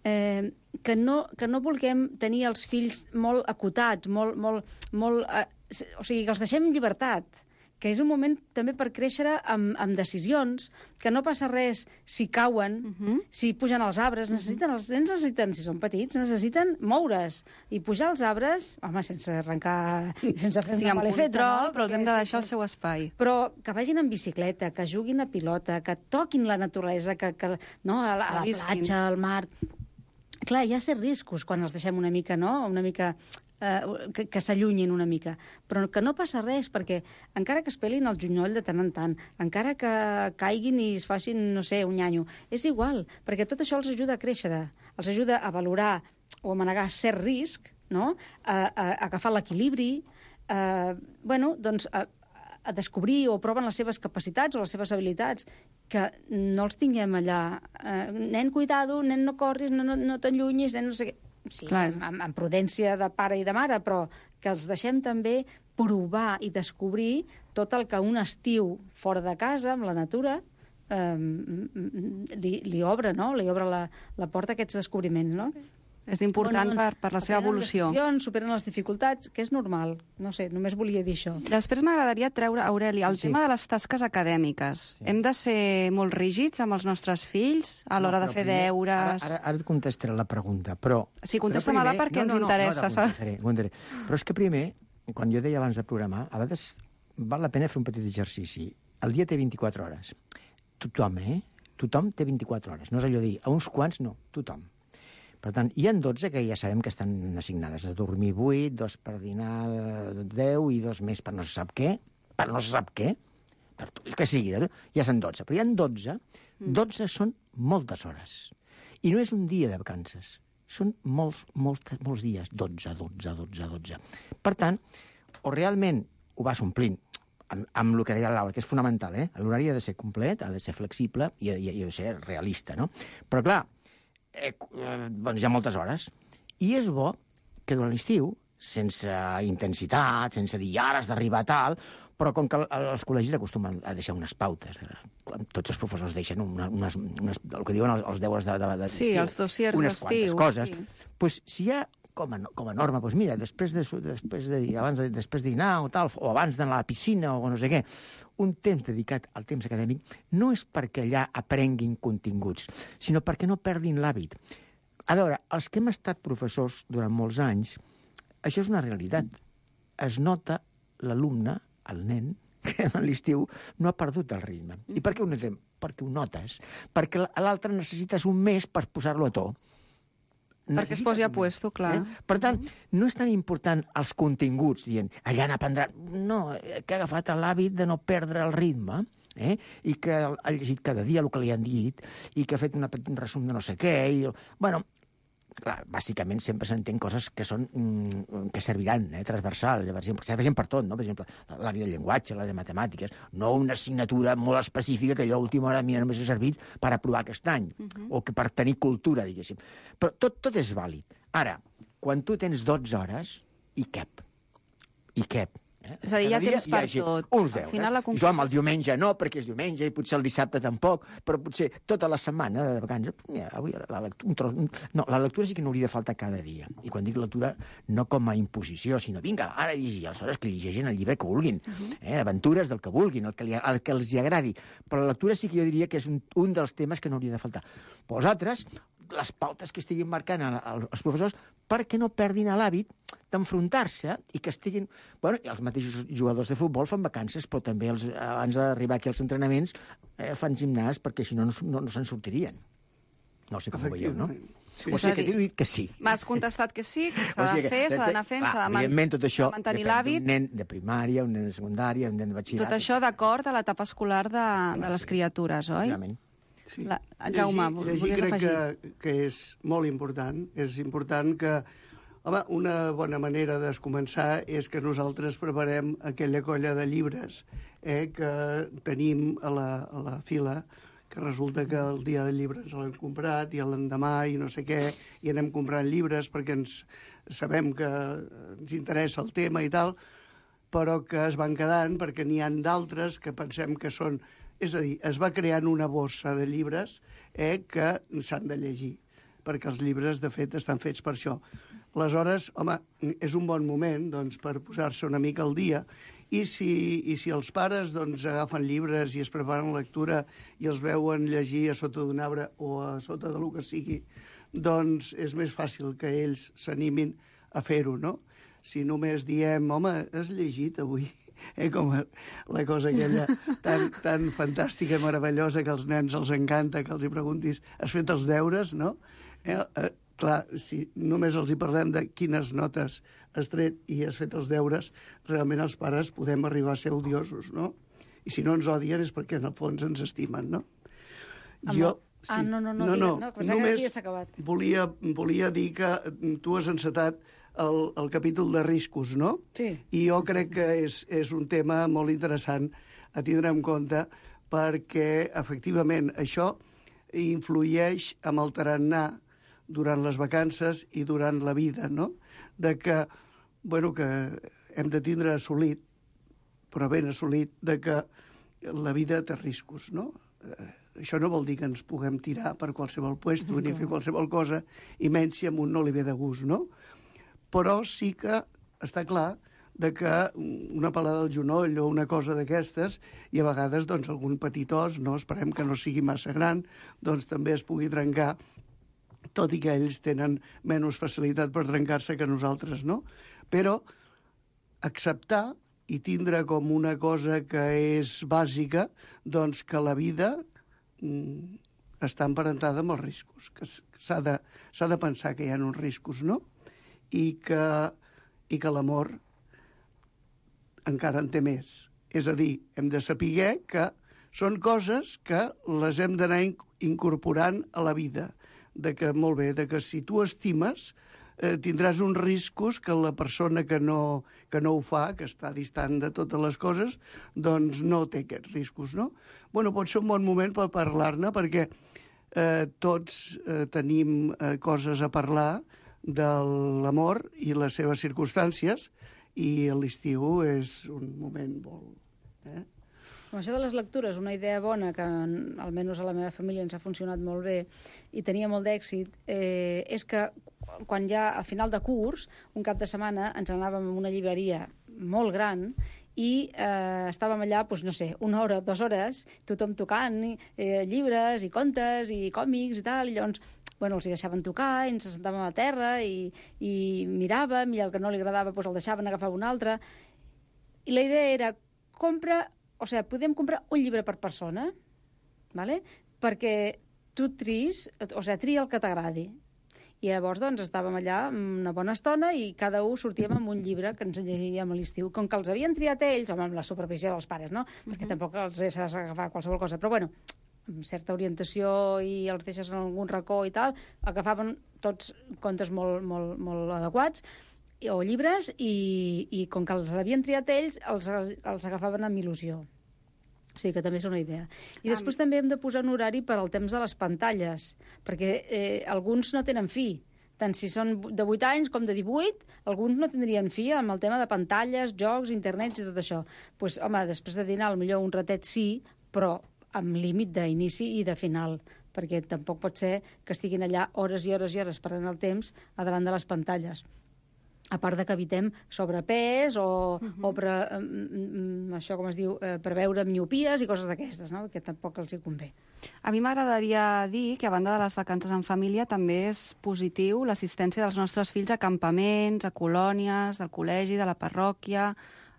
Speaker 5: Eh, que, no, que no vulguem tenir els fills molt acotats, molt, molt, molt, eh, o sigui, que els deixem en llibertat, que és un moment també per créixer amb, amb decisions, que no passa res si cauen, uh -huh. si pugen als arbres, necessiten, els nens necessiten, si són petits, necessiten moure's. I pujar als arbres, home, sense arrencar, sense fer
Speaker 4: Sí,
Speaker 5: una
Speaker 4: amb
Speaker 5: malefeta,
Speaker 4: control,
Speaker 5: no?
Speaker 4: però els hem de
Speaker 5: Perquè
Speaker 4: deixar el
Speaker 5: sense-
Speaker 4: seu espai.
Speaker 5: Però que vagin en bicicleta, que juguin a pilota, que toquin la naturalesa, que, que no, a la, a la
Speaker 4: Que visquin.
Speaker 5: platja, al mar... Clar, hi ha certs riscos quan els deixem una mica, no?, una mica... Eh, que, que s'allunyin una mica, però que no passa res, perquè encara que es pelin el junyol de tant en tant, encara que caiguin i es facin, no sé, un nyanyo, és igual, perquè tot això els ajuda a créixer, els ajuda a valorar o a manegar cert risc, no?, a, a, a agafar l'equilibri, eh, bueno, doncs a, a descobrir o proven les seves capacitats o les seves habilitats, que no els tinguem allà, eh, nen, cuidado, nen, no corris, no, no, no t'allunyis, nen, no sé què. Sí,
Speaker 4: Clar.
Speaker 5: amb, amb prudència de pare i de mare, però que els deixem també provar i descobrir tot el que un estiu fora de casa, amb la natura, eh, li, li obre, no?, li obre la, la porta a aquests descobriments, no?
Speaker 4: És important
Speaker 5: Bueno,
Speaker 4: per, per la seva
Speaker 5: prenen
Speaker 4: evolució.
Speaker 5: decisions, superen les dificultats, que és normal. No sé, només volia dir això.
Speaker 4: Després m'agradaria treure, Aureli, el
Speaker 7: Sí.
Speaker 4: tema de les tasques acadèmiques.
Speaker 7: Sí.
Speaker 4: Hem de ser molt rígids amb els nostres fills a l'hora
Speaker 7: No,
Speaker 4: de
Speaker 7: però
Speaker 4: fer
Speaker 7: primer,
Speaker 4: deures?
Speaker 7: Ara, ara, ara et contestaré la pregunta, però...
Speaker 4: Sí, contesta-me-la
Speaker 7: però primer-
Speaker 4: perquè ens interessa,
Speaker 7: No, no,
Speaker 4: saps?
Speaker 7: contestaré, contestaré. Però és que primer, quan jo deia abans de programar, a vegades val la pena fer un petit exercici. El dia té vint-i-quatre hores. Tothom, eh? Tothom té vint-i-quatre hores. No és allò de dir, a uns quants no, tothom. Per tant, hi ha dotze que ja sabem que estan assignades. A dormir vuit, dos per dinar deu i dos més per no se sap què. Per no se sap què. Per tu, que sigui, eh? Ja són dotze. Però hi ha dotze. dotze són moltes hores. I no és un dia de vacances. Són molts, molts, molts dies. dotze, dotze, dotze, dotze. Per tant, o realment ho vas omplint, amb, amb el que deia Laura, que és fonamental, eh? L'horari ha de ser complet, ha de ser flexible i, i, i ha de ser realista, no? Però, clar, eh, eh, doncs hi ha moltes hores. I és bo que durant l'estiu, sense intensitat, sense dir ara has d'arribar a tal, però com que els col·legis acostumen a deixar unes pautes, tots els professors deixen unes, unes, unes, el que diuen els, els deures de, de, de
Speaker 4: Sí, els dossiers
Speaker 7: unes
Speaker 4: d'estiu,
Speaker 7: quantes coses,
Speaker 4: sí.
Speaker 7: pues, si hi ha com a, com a norma, doncs mira, després de, després de, abans de, després de dinar o tal, o abans d'anar a la piscina o no sé què, un temps dedicat al temps acadèmic no és perquè allà aprenguin continguts, sinó perquè no perdin l'hàbit. A veure, els que hem estat professors durant molts anys, això és una realitat. Es nota l'alumne, el nen, que a l'estiu no ha perdut el ritme. I per què ho notem? Perquè ho notes. Perquè l'altre necessites un mes per posar-lo a to.
Speaker 4: Perquè es posi a puesto, clar.
Speaker 7: Eh? Per tant, no és tan important els continguts, dient, allà n'aprendrà... No, que ha agafat l'hàbit de no perdre el ritme. eh? I que ha llegit cada dia el que li han dit, i que ha fet una, un resum de no sé què, i... Bueno, clar, bàsicament sempre s'entén coses que són mm, que serviran, eh, transversals, per exemple, que serveixen per tot, no? Per exemple, l'àrea del llenguatge, l'àrea de matemàtiques, no una assignatura molt específica que allò a última hora a mi només ha servit per aprovar aquest any, uh -huh. o que per tenir cultura, diguéssim. Però tot, tot és vàlid. Ara, quan tu tens dotze hores, hi cap. Hi cap. Eh?
Speaker 4: És a dir, hi ha
Speaker 7: Cada
Speaker 4: temps
Speaker 7: dia
Speaker 4: per
Speaker 7: hi ha
Speaker 4: tot.
Speaker 7: Uns
Speaker 4: Al
Speaker 7: deures.
Speaker 4: final, la
Speaker 7: I
Speaker 4: conclusió...
Speaker 7: jo amb el diumenge no, perquè és diumenge, i potser el dissabte tampoc, però potser tota la setmana de vacances... Mira, avui la lectura, un tros, un... No, la lectura sí que no hauria de faltar cada dia. I quan dic lectura, no com a imposició, sinó, vinga, ara llegir, aleshores que llegeixin el llibre que vulguin, uh -huh. eh? Aventures del que vulguin, el que, li, el que els hi agradi. Però la lectura sí que jo diria que és un, un dels temes que no hauria de faltar. Vosaltres, les pautes que estiguin marcant els professors perquè no perdin l'hàbit d'enfrontar-se i que estiguin... Bueno, els mateixos jugadors de futbol fan vacances, però també els, abans d'arribar aquí als entrenaments eh, fan gimnàs perquè si no no, no, no se'n sortirien. No sé com ho veieu, no?
Speaker 6: Sí.
Speaker 7: O sigui que t'he dit que sí.
Speaker 4: M'has contestat que sí, que s'ha
Speaker 7: O sigui
Speaker 4: de
Speaker 7: que,
Speaker 4: fer, s'ha d'anar fent, s'ha de, man
Speaker 7: evidentment, tot això
Speaker 4: de mantenir
Speaker 7: depèn
Speaker 4: l'hàbit.
Speaker 7: d'un nen de primària, un nen de secundària, un nen de batxillerat.
Speaker 4: Tot això d'acord a l'etapa escolar de, de les criatures, oi?
Speaker 7: Realment.
Speaker 6: Sí.
Speaker 4: La... Jaume,
Speaker 6: llegir, llegir
Speaker 4: volies
Speaker 6: crec
Speaker 4: afegir?
Speaker 6: que, que és molt important. És important que... Home, una bona manera de començar és que nosaltres preparem aquella colla de llibres eh, que tenim a la, a la fila, que resulta que el dia del llibre ens l'hem comprat i l'endemà i no sé què, i anem comprant llibres perquè ens sabem que ens interessa el tema i tal, però que es van quedant perquè n'hi ha d'altres que pensem que són... És a dir, es va creant una bossa de llibres eh, que s'han de llegir, perquè els llibres, de fet, estan fets per això. Aleshores, home, és un bon moment doncs, per posar-se una mica al dia, i si, i si els pares doncs, agafen llibres i es preparen lectura i els veuen llegir a sota d'un arbre o a sota de lo que sigui, doncs és més fàcil que ells s'animin a fer-ho, no? Si només diem, home, has llegit avui? Eh, com la cosa aquella tan, tan fantàstica i meravellosa que als nens els encanta, que els hi preguntis, has fet els deures, no? Eh, eh, clar, si només els hi parlem de quines notes has tret i has fet els deures, realment els pares podem arribar a ser odiosos, no? I si no ens odien és perquè en el fons ens estimen, no?
Speaker 5: Amb
Speaker 6: Jo...
Speaker 5: Sí. Ah, no, no, no, no, no, no només que acabat.
Speaker 6: Volia, volia dir que tu has encetat el, el capítol de riscos, no?
Speaker 5: Sí.
Speaker 6: I jo crec que és, és un tema molt interessant a tindre en compte perquè, efectivament, això influeix amb el tarannà durant les vacances i durant la vida, no? De que, bueno, que hem de tindre assolit, però ben assolit, de que la vida té riscos, no? Eh, això no vol dir que ens puguem tirar per qualsevol puesto ni fer qualsevol cosa, i menys si a un no li ve de gust, no? Però sí que està clar de que una pelada al genoll o una cosa d'aquestes, i a vegades doncs, algun petit os, no, esperem que no sigui massa gran, doncs també es pugui trencar, tot i que ells tenen menys facilitat per trencar-se que nosaltres, no? Però acceptar i tindre com una cosa que és bàsica, doncs que la vida mm, està emparentada amb els riscos, que s'ha de, s'ha de pensar que hi ha uns riscos, no? I que, i que l'amor encara en té més. És a dir, hem de saber que són coses que les hem d'anar incorporant a la vida, de que, molt bé, de que si tu estimes eh, tindràs uns riscos que la persona que no, que no ho fa, que està distant de totes les coses, doncs no té aquests riscos, no? Bueno, pot ser un bon moment per parlar-ne, perquè eh, tots eh, tenim eh, coses a parlar de l'amor i les seves circumstàncies, i l'estiu és un moment molt... Eh?
Speaker 5: Això de les lectures, una idea bona que almenys a la meva família ens ha funcionat molt bé i tenia molt d'èxit, eh, és que quan ja al final de curs, un cap de setmana, ens anàvem a una llibreria molt gran i eh, estàvem allà, doncs, no sé, una hora, dues hores, tothom tocant eh, llibres i contes i còmics i tal, i llavors bueno, els hi deixaven tocar, i ens sentàvem a terra i, i miràvem, i el que no li agradava doncs el deixaven agafar un altre. I la idea era, compra, o sigui, podem comprar un llibre per persona, ¿vale? Perquè tu tris, o sigui, tria el que t'agradi. I llavors, doncs, estàvem allà una bona estona i cada un sortíem amb un llibre que ens llegiríem a l'estiu. Com que els havien triat ells, home, amb la supervisió dels pares, no? Uh-huh. Perquè tampoc els deixes agafar qualsevol cosa. Però, bueno, amb certa orientació i els deixes en algun racó i tal, agafaven tots contes molt, molt, molt adequats o llibres i, i com que els havien triat ells, els, els agafaven amb il·lusió. O sigui que també és una idea. I després um... també hem de posar un horari per al temps de les pantalles, perquè eh, alguns no tenen fi. Tant si són de vuit anys com de divuit, alguns no tindrien fi amb el tema de pantalles, jocs, internets i tot això. Doncs, pues, home, després de dinar, potser un ratet sí, però amb límit d'inici i de final, perquè tampoc pot ser que estiguin allà hores i hores i hores perdent el temps a davant de les pantalles. A part de que evitem sobrepès o, uh-huh. o pre, um, això com es diu, eh, preveure miopies i coses d'aquestes, no? Que tampoc els hi convé.
Speaker 4: A mi m'agradaria dir que, a banda de les vacances en família, també és positiu l'assistència dels nostres fills a campaments, a colònies, del col·legi, de la parròquia,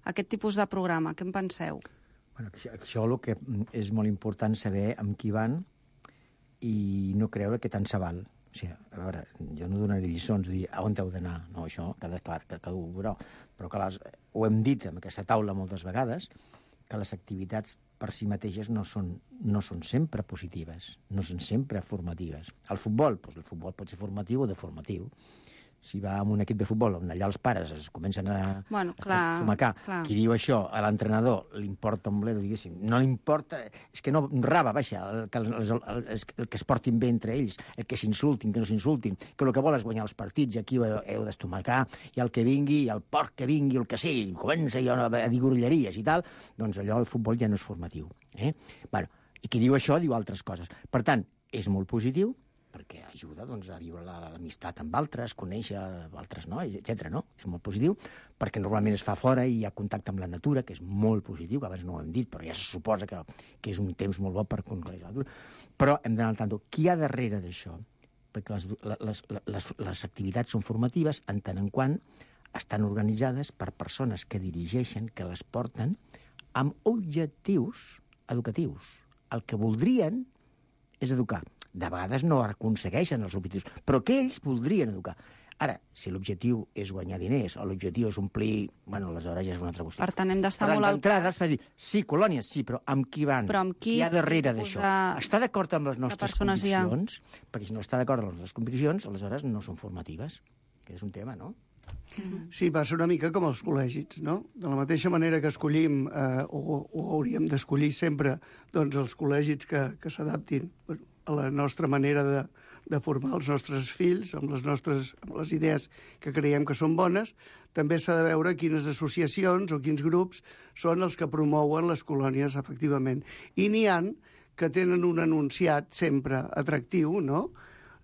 Speaker 4: aquest tipus de programa. Què en penseu?
Speaker 7: Bueno, això, això el que és molt important saber amb qui van i no creure que tant se val. O sigui, a veure, jo no donaré lliçons de dir a on heu d'anar, no, això, cada, clar, que cada un veurà, però que les, ho hem dit en aquesta taula moltes vegades, que les activitats per si mateixes no són, no són sempre positives, no són sempre formatives. El futbol, doncs el futbol pot ser formatiu o deformatiu. Si va amb un equip de futbol on allà els pares es comencen a,
Speaker 4: bueno,
Speaker 7: a
Speaker 4: clar,
Speaker 7: tomacar,
Speaker 4: clar.
Speaker 7: Qui diu això a l'entrenador li importa un bledo, diguéssim, no li importa, és que no raba, baixa, el, que, el, el, el, el que es portin bé entre ells, el que s'insultin, que no s'insultin, que el que vol és guanyar els partits i aquí ho heu d'estomacar, i el que vingui, i el porc que vingui, el que sigui, comença jo a dir gorilleries i tal, doncs allò el futbol ja no és formatiu. Eh? Bueno, i qui diu això diu altres coses. Per tant, és molt positiu, perquè ajuda doncs, a viure l'amistat amb altres, conèixer altres nois, etcètera. No? És molt positiu, perquè normalment es fa fora i hi ha contacte amb la natura, que és molt positiu, que abans no ho hem dit, però ja se suposa que, que és un temps molt bo per conèixer la natura. Però hem d'anar al tanto. Qui hi ha darrere d'això? Perquè les, les, les, les activitats són formatives en tant en quant estan organitzades per persones que dirigeixen, que les porten, amb objectius educatius. El que voldrien és educar. De vegades no aconsegueixen els objectius, però que ells voldrien educar. Ara, si l'objectiu és guanyar diners o l'objectiu és omplir... Bueno, aleshores ja és una altra qüestió.
Speaker 4: Per tant, hem d'estar
Speaker 7: però
Speaker 4: molt al
Speaker 7: d'entrada es fa dir, sí, colònies, sí, però amb qui van?
Speaker 4: Però amb qui?
Speaker 7: Qui hi ha darrere d'això?
Speaker 4: De...
Speaker 7: Està d'acord amb les nostres conviccions?
Speaker 4: Ha...
Speaker 7: Perquè si no està d'acord amb les nostres conviccions, aleshores no són formatives. Que és un tema, no?
Speaker 6: Sí, va ser una mica com els col·legis, no? De la mateixa manera que escollim, eh, o, o hauríem d'escollir sempre, doncs, els col·legis que, que s'adaptin a la nostra manera de, de formar els nostres fills, amb les nostres amb les idees que creiem que són bones, també s'ha de veure quines associacions o quins grups són els que promouen les colònies, efectivament. I n'hi han que tenen un enunciat sempre atractiu, no?,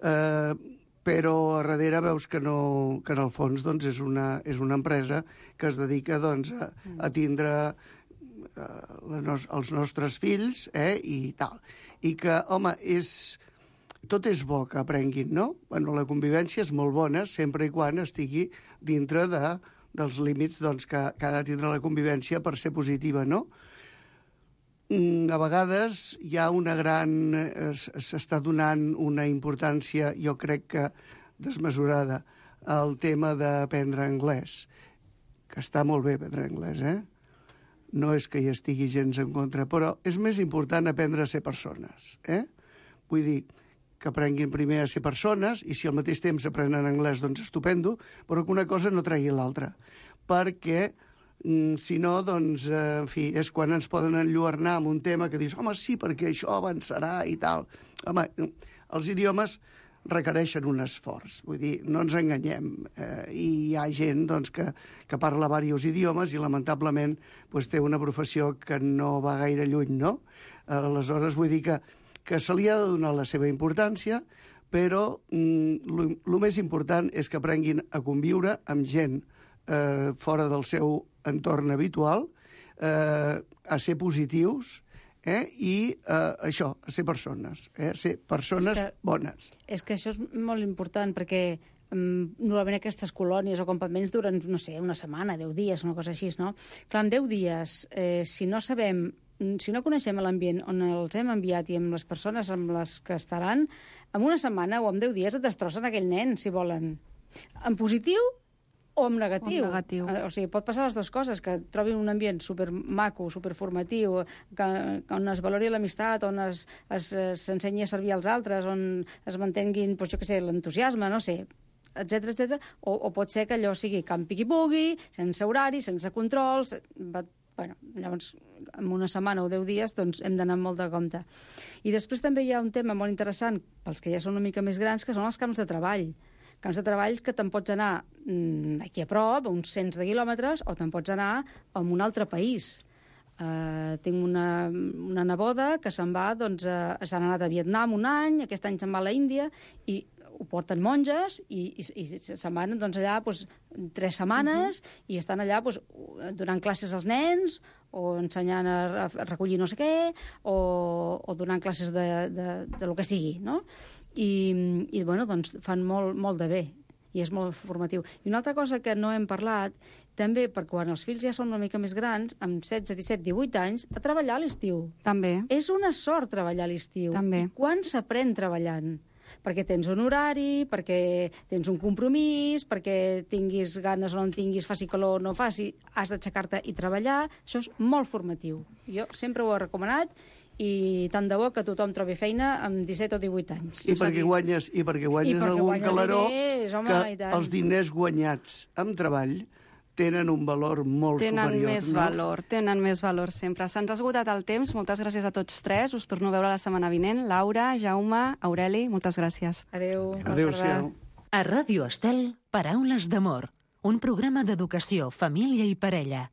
Speaker 6: eh, però a darrere veus que, no, que en el fons doncs, és, una, és una empresa que es dedica doncs, a, a tindre eh, la nos, els nostres fills eh, i tal. I que, home, és, tot és bo que aprenguin, no? Bueno, la convivència és molt bona sempre i quan estigui dintre de, dels límits doncs, que, que ha de tindre la convivència per ser positiva, no? A vegades hi ha una gran... s'està donant una importància, jo crec que desmesurada, al tema d'aprendre anglès, que està molt bé aprendre anglès, eh? No és que hi estigui gens en contra, però és més important aprendre a ser persones, eh? Vull dir, que aprenguin primer a ser persones, i si al mateix temps aprenen anglès, doncs estupendo, però que una cosa no tregui l'altra, perquè... Si no, doncs, eh, en fi, és quan ens poden enlluernar amb un tema que dius, home, sí, perquè això avançarà i tal. Home, els idiomes requereixen un esforç, vull dir, no ens enganyem. Eh, I hi ha gent, doncs, que, que parla diversos idiomes i, lamentablement, doncs, té una professió que no va gaire lluny, no? Aleshores, vull dir que, que se li ha de donar la seva importància, però el més important és que aprenguin a conviure amb gent eh, fora del seu entorn habitual, eh, a ser positius eh, i eh, això, a ser persones, eh, a ser persones
Speaker 5: és que,
Speaker 6: bones.
Speaker 5: És que això és molt important, perquè um, normalment aquestes colònies o campaments duren, no sé, una setmana, deu dies, una cosa així, no? Clar, en deu dies, eh, si no sabem si no coneixem l'ambient on els hem enviat i amb les persones amb les que estaran, en una setmana o en deu dies et destrossen aquell nen, si volen. En positiu o en negatiu.
Speaker 4: O en negatiu.
Speaker 5: O sigui, pot passar les dues coses, que trobin un ambient supermaco, superformatiu, que, que on es valori l'amistat, on es, es, s'ensenyi a servir als altres, on es mantenguin, doncs, jo què sé, l'entusiasme, no sé, etcètera, etcètera. O, o pot ser que allò sigui camp piqui-pugui, sense horari, sense controls. Va, bueno, llavors, en una setmana o deu dies, doncs hem d'anar molt de compte. I després també hi ha un tema molt interessant, pels que ja són una mica més grans, que són els camps de treball. Camps de treball que te'n pots anar aquí a prop, a uns cents de quilòmetres, o te'n pots anar a un altre país. Uh, tinc una, una neboda que se'n va, doncs, uh, s'han anat a Vietnam un any, aquest any se'n va a la Índia, i ho porten monges, i, i, i se'n van doncs, allà doncs, tres setmanes, uh-huh. i estan allà doncs, donant classes als nens, o ensenyant a, a recollir no sé què, o, o donant classes de, de, de lo que sigui, no? I, i bueno, doncs fan molt, molt de bé i és molt formatiu. I una altra cosa que no hem parlat, també per quan els fills ja són una mica més grans, amb setze, disset, divuit anys, a treballar a l'estiu.
Speaker 4: També.
Speaker 5: És una sort treballar a l'estiu.
Speaker 4: També.
Speaker 5: Quan s'aprèn treballant? Perquè tens un horari, perquè tens un compromís, perquè tinguis ganes o no en tinguis, faci calor o no faci, has d'aixecar-te i treballar. Això és molt formatiu. Jo sempre ho he recomanat, i tant de bo que tothom trobi feina amb disset o divuit anys.
Speaker 6: I perquè guanyes, i perquè guanyes I perquè algun guanyes calaró diners, home, que els diners guanyats amb treball tenen un valor molt
Speaker 4: tenen
Speaker 6: superior.
Speaker 4: Més
Speaker 6: no?
Speaker 4: valor, tenen més valor sempre. Se'ns ha esgotat el temps. Moltes gràcies a tots tres. Us torno a veure la setmana vinent. Laura, Jaume, Aureli, moltes gràcies.
Speaker 5: Adéu.
Speaker 6: Adéu-siau.
Speaker 3: A Ràdio Estel, Paraules d'amor. Un programa d'educació, família i parella.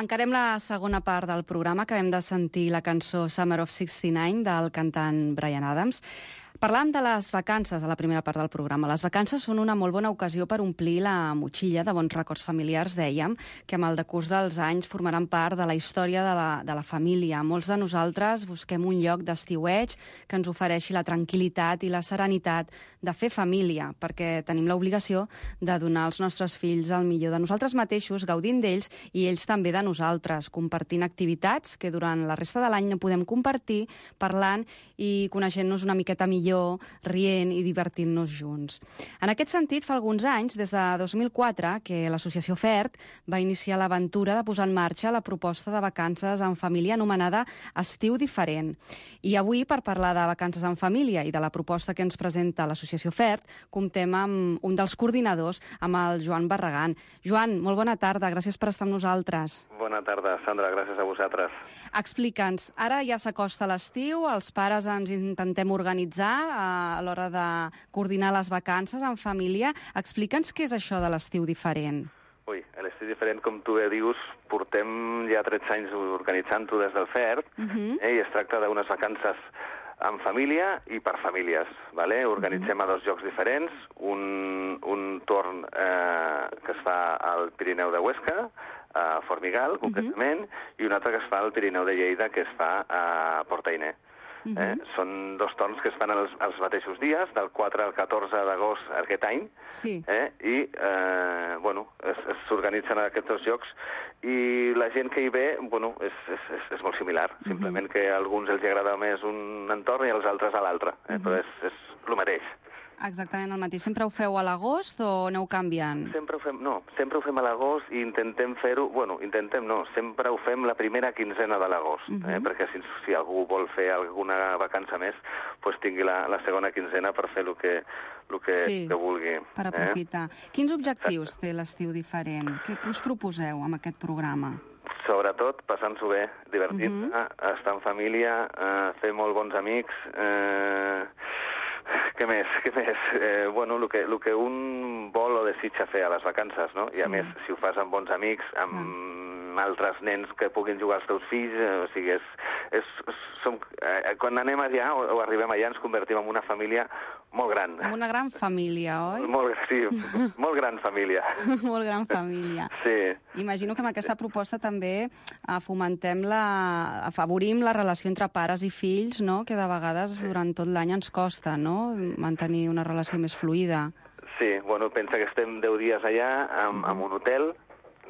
Speaker 4: Encarem la segona part del programa. Acabem de sentir la cançó Summer of seixanta-nou del cantant Bryan Adams. Parlàvem de les vacances a la primera part del programa. Les vacances són una molt bona ocasió per omplir la motxilla de bons records familiars, dèiem, que amb el decurs dels anys formaran part de la història de la, de la família. Molts de nosaltres busquem un lloc d'estiueig que ens ofereixi la tranquil·litat i la serenitat de fer família, perquè tenim l'obligació de donar als nostres fills el millor de nosaltres mateixos, gaudint d'ells i ells també de nosaltres, compartint activitats que durant la resta de l'any no podem compartir, parlant i coneixent-nos una miqueta millor, rient i divertint-nos junts. En aquest sentit, fa alguns anys, des de dos mil quatre, que l'associació FERT va iniciar l'aventura de posar en marxa la proposta de vacances en família anomenada Estiu Diferent. I avui, per parlar de vacances en família i de la proposta que ens presenta l'associació FERT, comptem amb un dels coordinadors, amb el Joan Barragán. Joan, molt bona tarda, gràcies per estar amb nosaltres.
Speaker 8: Bona tarda, Sandra, gràcies a vosaltres.
Speaker 4: Explica'ns, ara ja s'acosta l'estiu, els pares ens intentem organitzar a l'hora de coordinar les vacances en família. Explica'ns què és això de l'estiu diferent.
Speaker 8: Ui, l'estiu diferent, com tu bé dius, portem ja tretze anys organitzant-ho des del FERT, uh-huh. eh, i es tracta d'unes vacances en família i per famílies. Vale? Organitzem uh-huh. a dos llocs diferents, un, un torn eh, que es fa al Pirineu de Huesca, a Formigal, concretament, uh-huh. i un altre que es fa al Pirineu de Lleida, que es fa a Portainer. Uh-huh. eh? Són dos torns que es fan els, els mateixos dies, del quatre al catorze d'agost aquest any,
Speaker 4: sí.
Speaker 8: eh? i eh, bueno, s'organitzen aquests dos llocs, i la gent que hi ve bueno, és, és, és, és molt similar, uh-huh. simplement que a alguns els agrada més un entorn i als altres a l'altre, eh? uh-huh. però és, és el mateix.
Speaker 4: Exactament el mateix. Sempre ho feu a l'agost o aneu canviant?
Speaker 8: Sempre ho fem, no, sempre ho fem a l'agost i intentem fer-ho, bueno, intentem no, sempre ho fem la primera quinzena de l'agost, uh-huh. eh, perquè si, si algú vol fer alguna vacança més, pues tingui la, la segona quinzena per fer el que, el que,
Speaker 4: sí,
Speaker 8: que vulgui.
Speaker 4: Per aprofitar. Eh? Quins objectius té l'estiu diferent? Què, què us proposeu amb aquest programa?
Speaker 8: Sobretot passant-s'ho bé, divertir-se, uh-huh. estar en família, eh, fer molt bons amics, eh, què més, què més? Eh, bueno, el que, el que un vol o desitja fer a les vacances, no? I a sí. més, si ho fas amb bons amics, amb ah. altres nens que puguin jugar als teus fills, eh, o sigui, és, és, som, eh, quan anem allà o, o arribem allà ens convertim en una família molt gran.
Speaker 4: En una gran família, oi?
Speaker 8: Molt, sí, molt gran família.
Speaker 4: Molt gran família.
Speaker 8: Sí.
Speaker 4: Imagino que amb aquesta proposta també fomentem la... afavorim la relació entre pares i fills, no? Que de vegades sí. durant tot l'any ens costa, no? Mantenir una relació més fluida.
Speaker 8: Sí, bueno, pensa que estem deu dies allà en, en un hotel,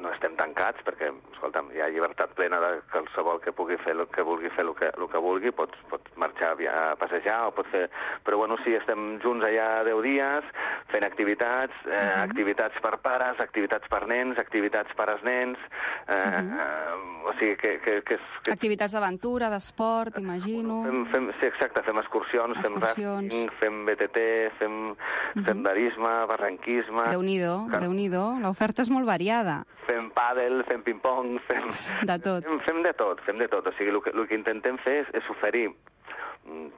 Speaker 8: no estem tancats perquè, escolta'm, hi ha llibertat plena de qualsevol que pugui fer el que vulgui fer el que, el que vulgui, pot, pot marxar a passejar o pot fer... Però bueno, sí, estem junts allà deu dies fent activitats, eh, uh-huh. activitats per pares, activitats per nens, activitats pares-nens, eh, uh-huh. eh, o sigui que... que, que, que...
Speaker 4: Activitats d'aventura, d'esport, imagino...
Speaker 8: Fem, fem, sí, exacte, fem excursions,
Speaker 4: excursions.
Speaker 8: fem rafting, fem B T T, fem uh-huh. senderisme, barranquisme...
Speaker 4: Déu-n'hi-do, que... Déu-n'hi-do, l'oferta és molt variada.
Speaker 8: Fem pàdel, fem ping-pong, fem...
Speaker 4: De tot.
Speaker 8: Fem, fem de tot, fem de tot. O sigui, el que, el que intentem fer és, és oferir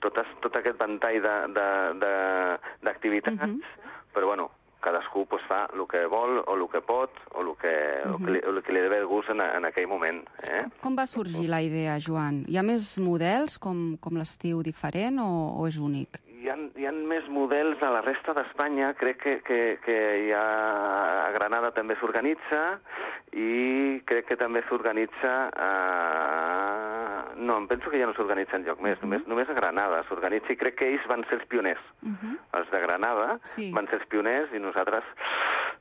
Speaker 8: tot, tot aquest ventall d'activitats, uh-huh. però, bueno, cadascú pues, fa el que vol o el que pot o el que, uh-huh. el que, li, el que li deve el gust en, en aquell moment. Eh?
Speaker 4: Com va sorgir la idea, Joan? Hi ha més models com, com l'estiu diferent o, o és únic?
Speaker 8: Hi ha, hi ha més models a la resta d'Espanya, crec que, que, que hi ha, a Granada també s'organitza i crec que també s'organitza a... No, em penso que ja no s'organitza enlloc més, uh-huh. només, només a Granada s'organitza i crec que ells van ser els pioners. Uh-huh. Els de Granada
Speaker 4: sí.
Speaker 8: van ser els pioners i nosaltres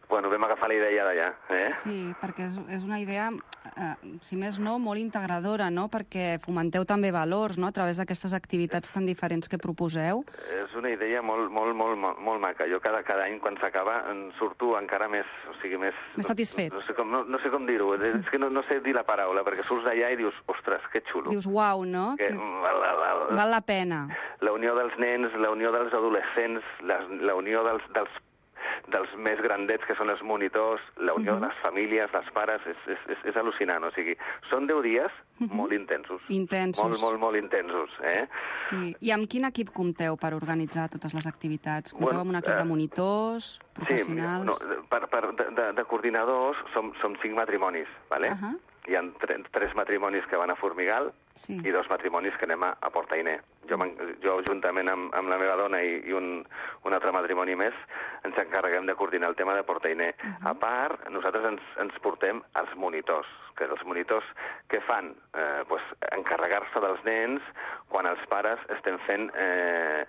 Speaker 8: bueno, vam agafar la idea d'allà. Eh?
Speaker 4: Sí, perquè és, és una idea, eh, si més no, molt integradora, no? Perquè fomenteu també valors, no?, a través d'aquestes activitats tan diferents que proposeu.
Speaker 8: És una idea molt, molt, molt, molt, molt maca. Jo cada, cada any, quan s'acaba, en surto encara més... O sigui, més...
Speaker 4: Més satisfet.
Speaker 8: No, no, sé com, no, no sé com dir-ho, és que no, no sé dir la paraula, perquè surts d'allà i dius, ostres, que xulo.
Speaker 4: Dius, uau, no?
Speaker 8: Que,
Speaker 4: que...
Speaker 8: Val, val,
Speaker 4: val la pena.
Speaker 8: La unió dels nens, la unió dels adolescents, la, la unió dels, dels dels més grandets, que són els monitors, la unió uh-huh. de les famílies, dels pares, és, és, és, és al·lucinant. O sigui, són deu dies uh-huh. molt intensos.
Speaker 4: Intensos.
Speaker 8: Molt, molt, molt intensos. Eh?
Speaker 4: Sí. I amb quin equip compteu per organitzar totes les activitats? Compteu bueno, amb un equip de monitors, professionals?
Speaker 8: Sí, no, per, per, de, de coordinadors som, som cinc matrimonis, ¿vale? Uh-huh. hi ha tre, tres matrimonis que van a Formigal
Speaker 4: Sí.
Speaker 8: i dos matrimonis que anem a, a Portainer. Jo, jo juntament amb, amb la meva dona i, i un, un altre matrimoni més, ens encarreguem de coordinar el tema de Portainer. Uh -huh. A part, nosaltres ens, ens portem els monitors, que els monitors què fan? Eh, pues, encarregar-se dels nens quan els pares estem fent eh,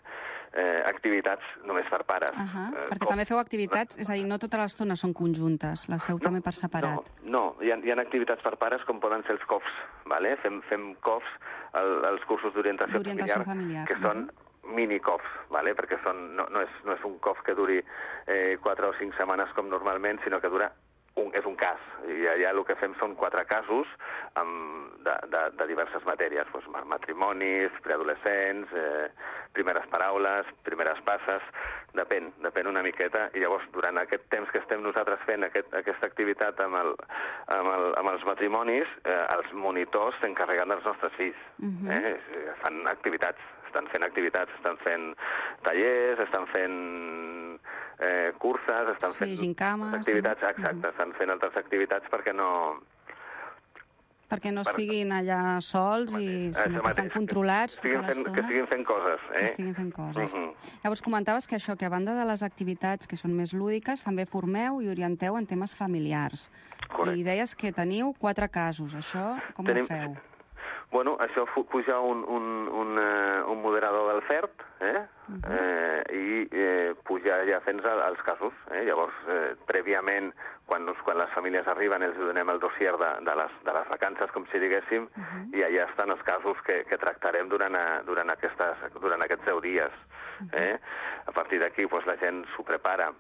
Speaker 8: eh, activitats només per pares.
Speaker 4: Uh -huh.
Speaker 8: eh,
Speaker 4: Perquè
Speaker 8: com...
Speaker 4: també feu activitats, és a dir, no tota l'estona són conjuntes, les feu no, també per separat.
Speaker 8: No, no. Hi, ha, hi ha activitats per pares com poden ser els C O Fs, vale? fem, fem C O Fs, el, els cursos d'orientació familiar,
Speaker 4: familiar,
Speaker 8: que són mini C O Fs, vale? Perquè són, no, no, és, no és un C O F que duri eh, quatre o cinc setmanes com normalment, sinó que dura un, és un cas. I allà el que fem són quatre casos amb, de, de, de diverses matèries, doncs, matrimonis, preadolescents, eh, primeres paraules, primeres passes, depèn, depèn una miqueta, i llavors durant aquest temps que estem nosaltres fent aquest, aquesta activitat amb, el, amb, el, amb els matrimonis, eh, els monitors s'encarreguen dels nostres fills. Uh-huh. eh? Fan activitats, estan fent activitats, estan fent tallers, estan fent eh, curses, estan
Speaker 4: sí,
Speaker 8: fent
Speaker 4: gincames,
Speaker 8: activitats,
Speaker 4: sí.
Speaker 8: exacte, uh-huh. estan fent altres activitats perquè no...
Speaker 4: Perquè no estiguin allà sols i sinó que estan controlats tota l'estona.
Speaker 8: Que estiguin fent coses. Eh?
Speaker 4: Que estiguin fent coses.
Speaker 8: Uh -huh.
Speaker 4: Llavors comentaves que això, que a banda de les activitats que són més lúdiques, també formeu i orienteu en temes familiars.
Speaker 8: Correcte.
Speaker 4: I deies que teniu quatre casos. Això com
Speaker 8: Tenim...
Speaker 4: ho feu?
Speaker 8: Bueno, això puja un, un, un, uh, un moderador del F E R T, eh? Uh -huh. eh, i eh, puja ja fent els casos. Eh? Llavors, eh, prèviament, quan, quan les famílies arriben, els donem el dossier de, de, les, de les vacances, com si diguéssim, uh -huh. i allà estan els casos que, que tractarem durant, a, durant, aquestes, durant aquests deu dies. Eh? A partir d'aquí, pues, la gent s'ho prepara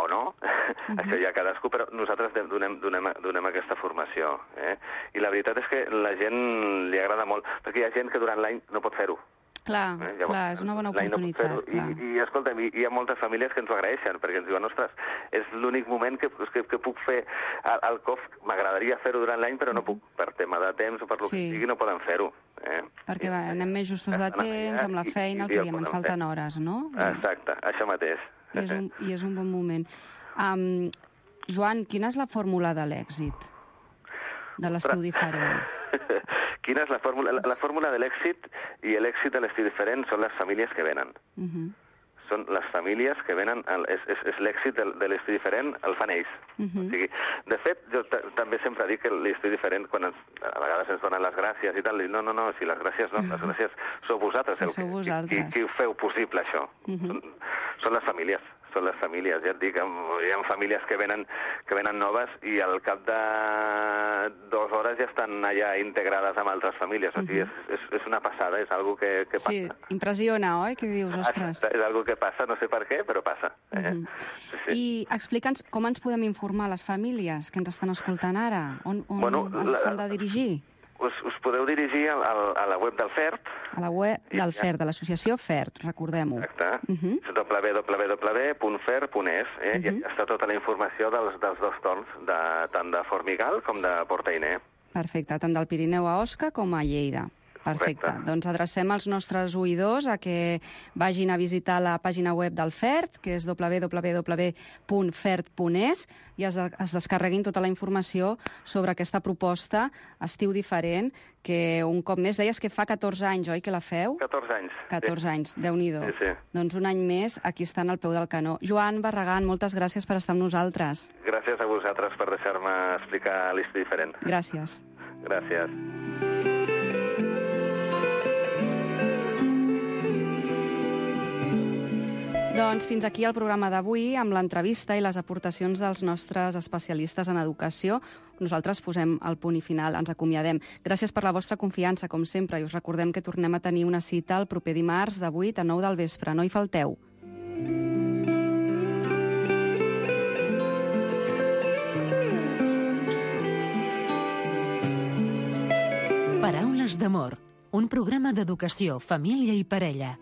Speaker 8: o no, uh-huh. això ja cadascú, però nosaltres donem, donem, donem aquesta formació. Eh? I la veritat és que la gent li agrada molt, perquè hi ha gent que durant l'any no pot fer-ho.
Speaker 4: Clar, eh? Llavors, clar, és una bona oportunitat. No
Speaker 8: I, I, escolta'm, hi, hi ha moltes famílies que ens ho agraeixen, perquè ens diuen, ostres, és l'únic moment que, que, que puc fer el, el C O F, m'agradaria fer-ho durant l'any, però no puc, per tema de temps o per lo sí. que sigui, no poden fer-ho. Eh?
Speaker 4: Perquè va, anem més justos de temps, amb la feina, el que diem, ens falten hores, no?
Speaker 8: Exacte, això mateix.
Speaker 4: I és un, i és un bon moment. Um, Joan, quina és la fórmula de l'èxit? De l'estiu diferent?
Speaker 8: Quina és la fórmula? La, la fórmula de l'èxit i l'èxit de l'estiu diferent són les famílies que venen. Uh -huh. Són les famílies que venen, el, és, és, és l'èxit de, de l'estiu diferent, el fan ells. Uh -huh. O sigui, de fet, jo també sempre dic que l'estiu diferent, quan ens, a vegades ens donen les gràcies i tal, dic, no, no, no, si les gràcies no, les gràcies sou vosaltres,
Speaker 4: sí,
Speaker 8: el,
Speaker 4: sou vosaltres.
Speaker 8: Qui, qui ho feu possible, això. Uh -huh. són, són les famílies. Són les famílies, ja et dic, hi ha famílies que venen, que venen noves i al cap de dues hores ja estan allà integrades amb altres famílies. O sigui, és, és, és una passada, és algo que, que passa.
Speaker 4: Sí, impressiona, oi? Que dius, ostres.
Speaker 8: És algo que passa, no sé per què, però passa. Eh? Uh -huh.
Speaker 4: sí, sí. I explica'ns com ens podem informar les famílies que ens estan escoltant ara? On, on
Speaker 8: bueno,
Speaker 4: s'han de dirigir?
Speaker 8: Us, us podeu dirigir al, al, a la web del F E R T.
Speaker 4: A la web del F E R T, de l'associació F E R T, recordem-ho.
Speaker 8: Exacte. Uh -huh. w w w punt f e r punt e s, eh? Uh -huh. I està tota la informació dels, dels dos torns, de, tant de Formigal com de Portainer.
Speaker 4: Perfecte, tant del Pirineu a Osca com a Lleida. Perfecte. Correcte. Doncs adrecem els nostres oïdors a que vagin a visitar la pàgina web del F E R T, que és w w w punt f e r t punt e s, i es, de, es descarreguin tota la informació sobre aquesta proposta Estiu Diferent, que un cop més deies que fa catorze anys, oi, que la feu?
Speaker 8: catorze anys.
Speaker 4: catorze sí. anys, Déu-n'hi-do.
Speaker 8: Sí, sí.
Speaker 4: Doncs un any més, aquí estan al peu del canó. Joan Barragán, moltes gràcies per estar amb nosaltres.
Speaker 8: Gràcies a vosaltres per deixar-me explicar l'Estiu Diferent.
Speaker 4: Gràcies.
Speaker 8: Gràcies.
Speaker 4: Doncs fins aquí el programa d'avui, amb l'entrevista i les aportacions dels nostres especialistes en educació. Nosaltres posem el punt i final, ens acomiadem. Gràcies per la vostra confiança, com sempre, i us recordem que tornem a tenir una cita el proper dimarts de vuit a nou del vespre. No hi falteu.
Speaker 3: Paraules d'amor, un programa d'educació, família i parella.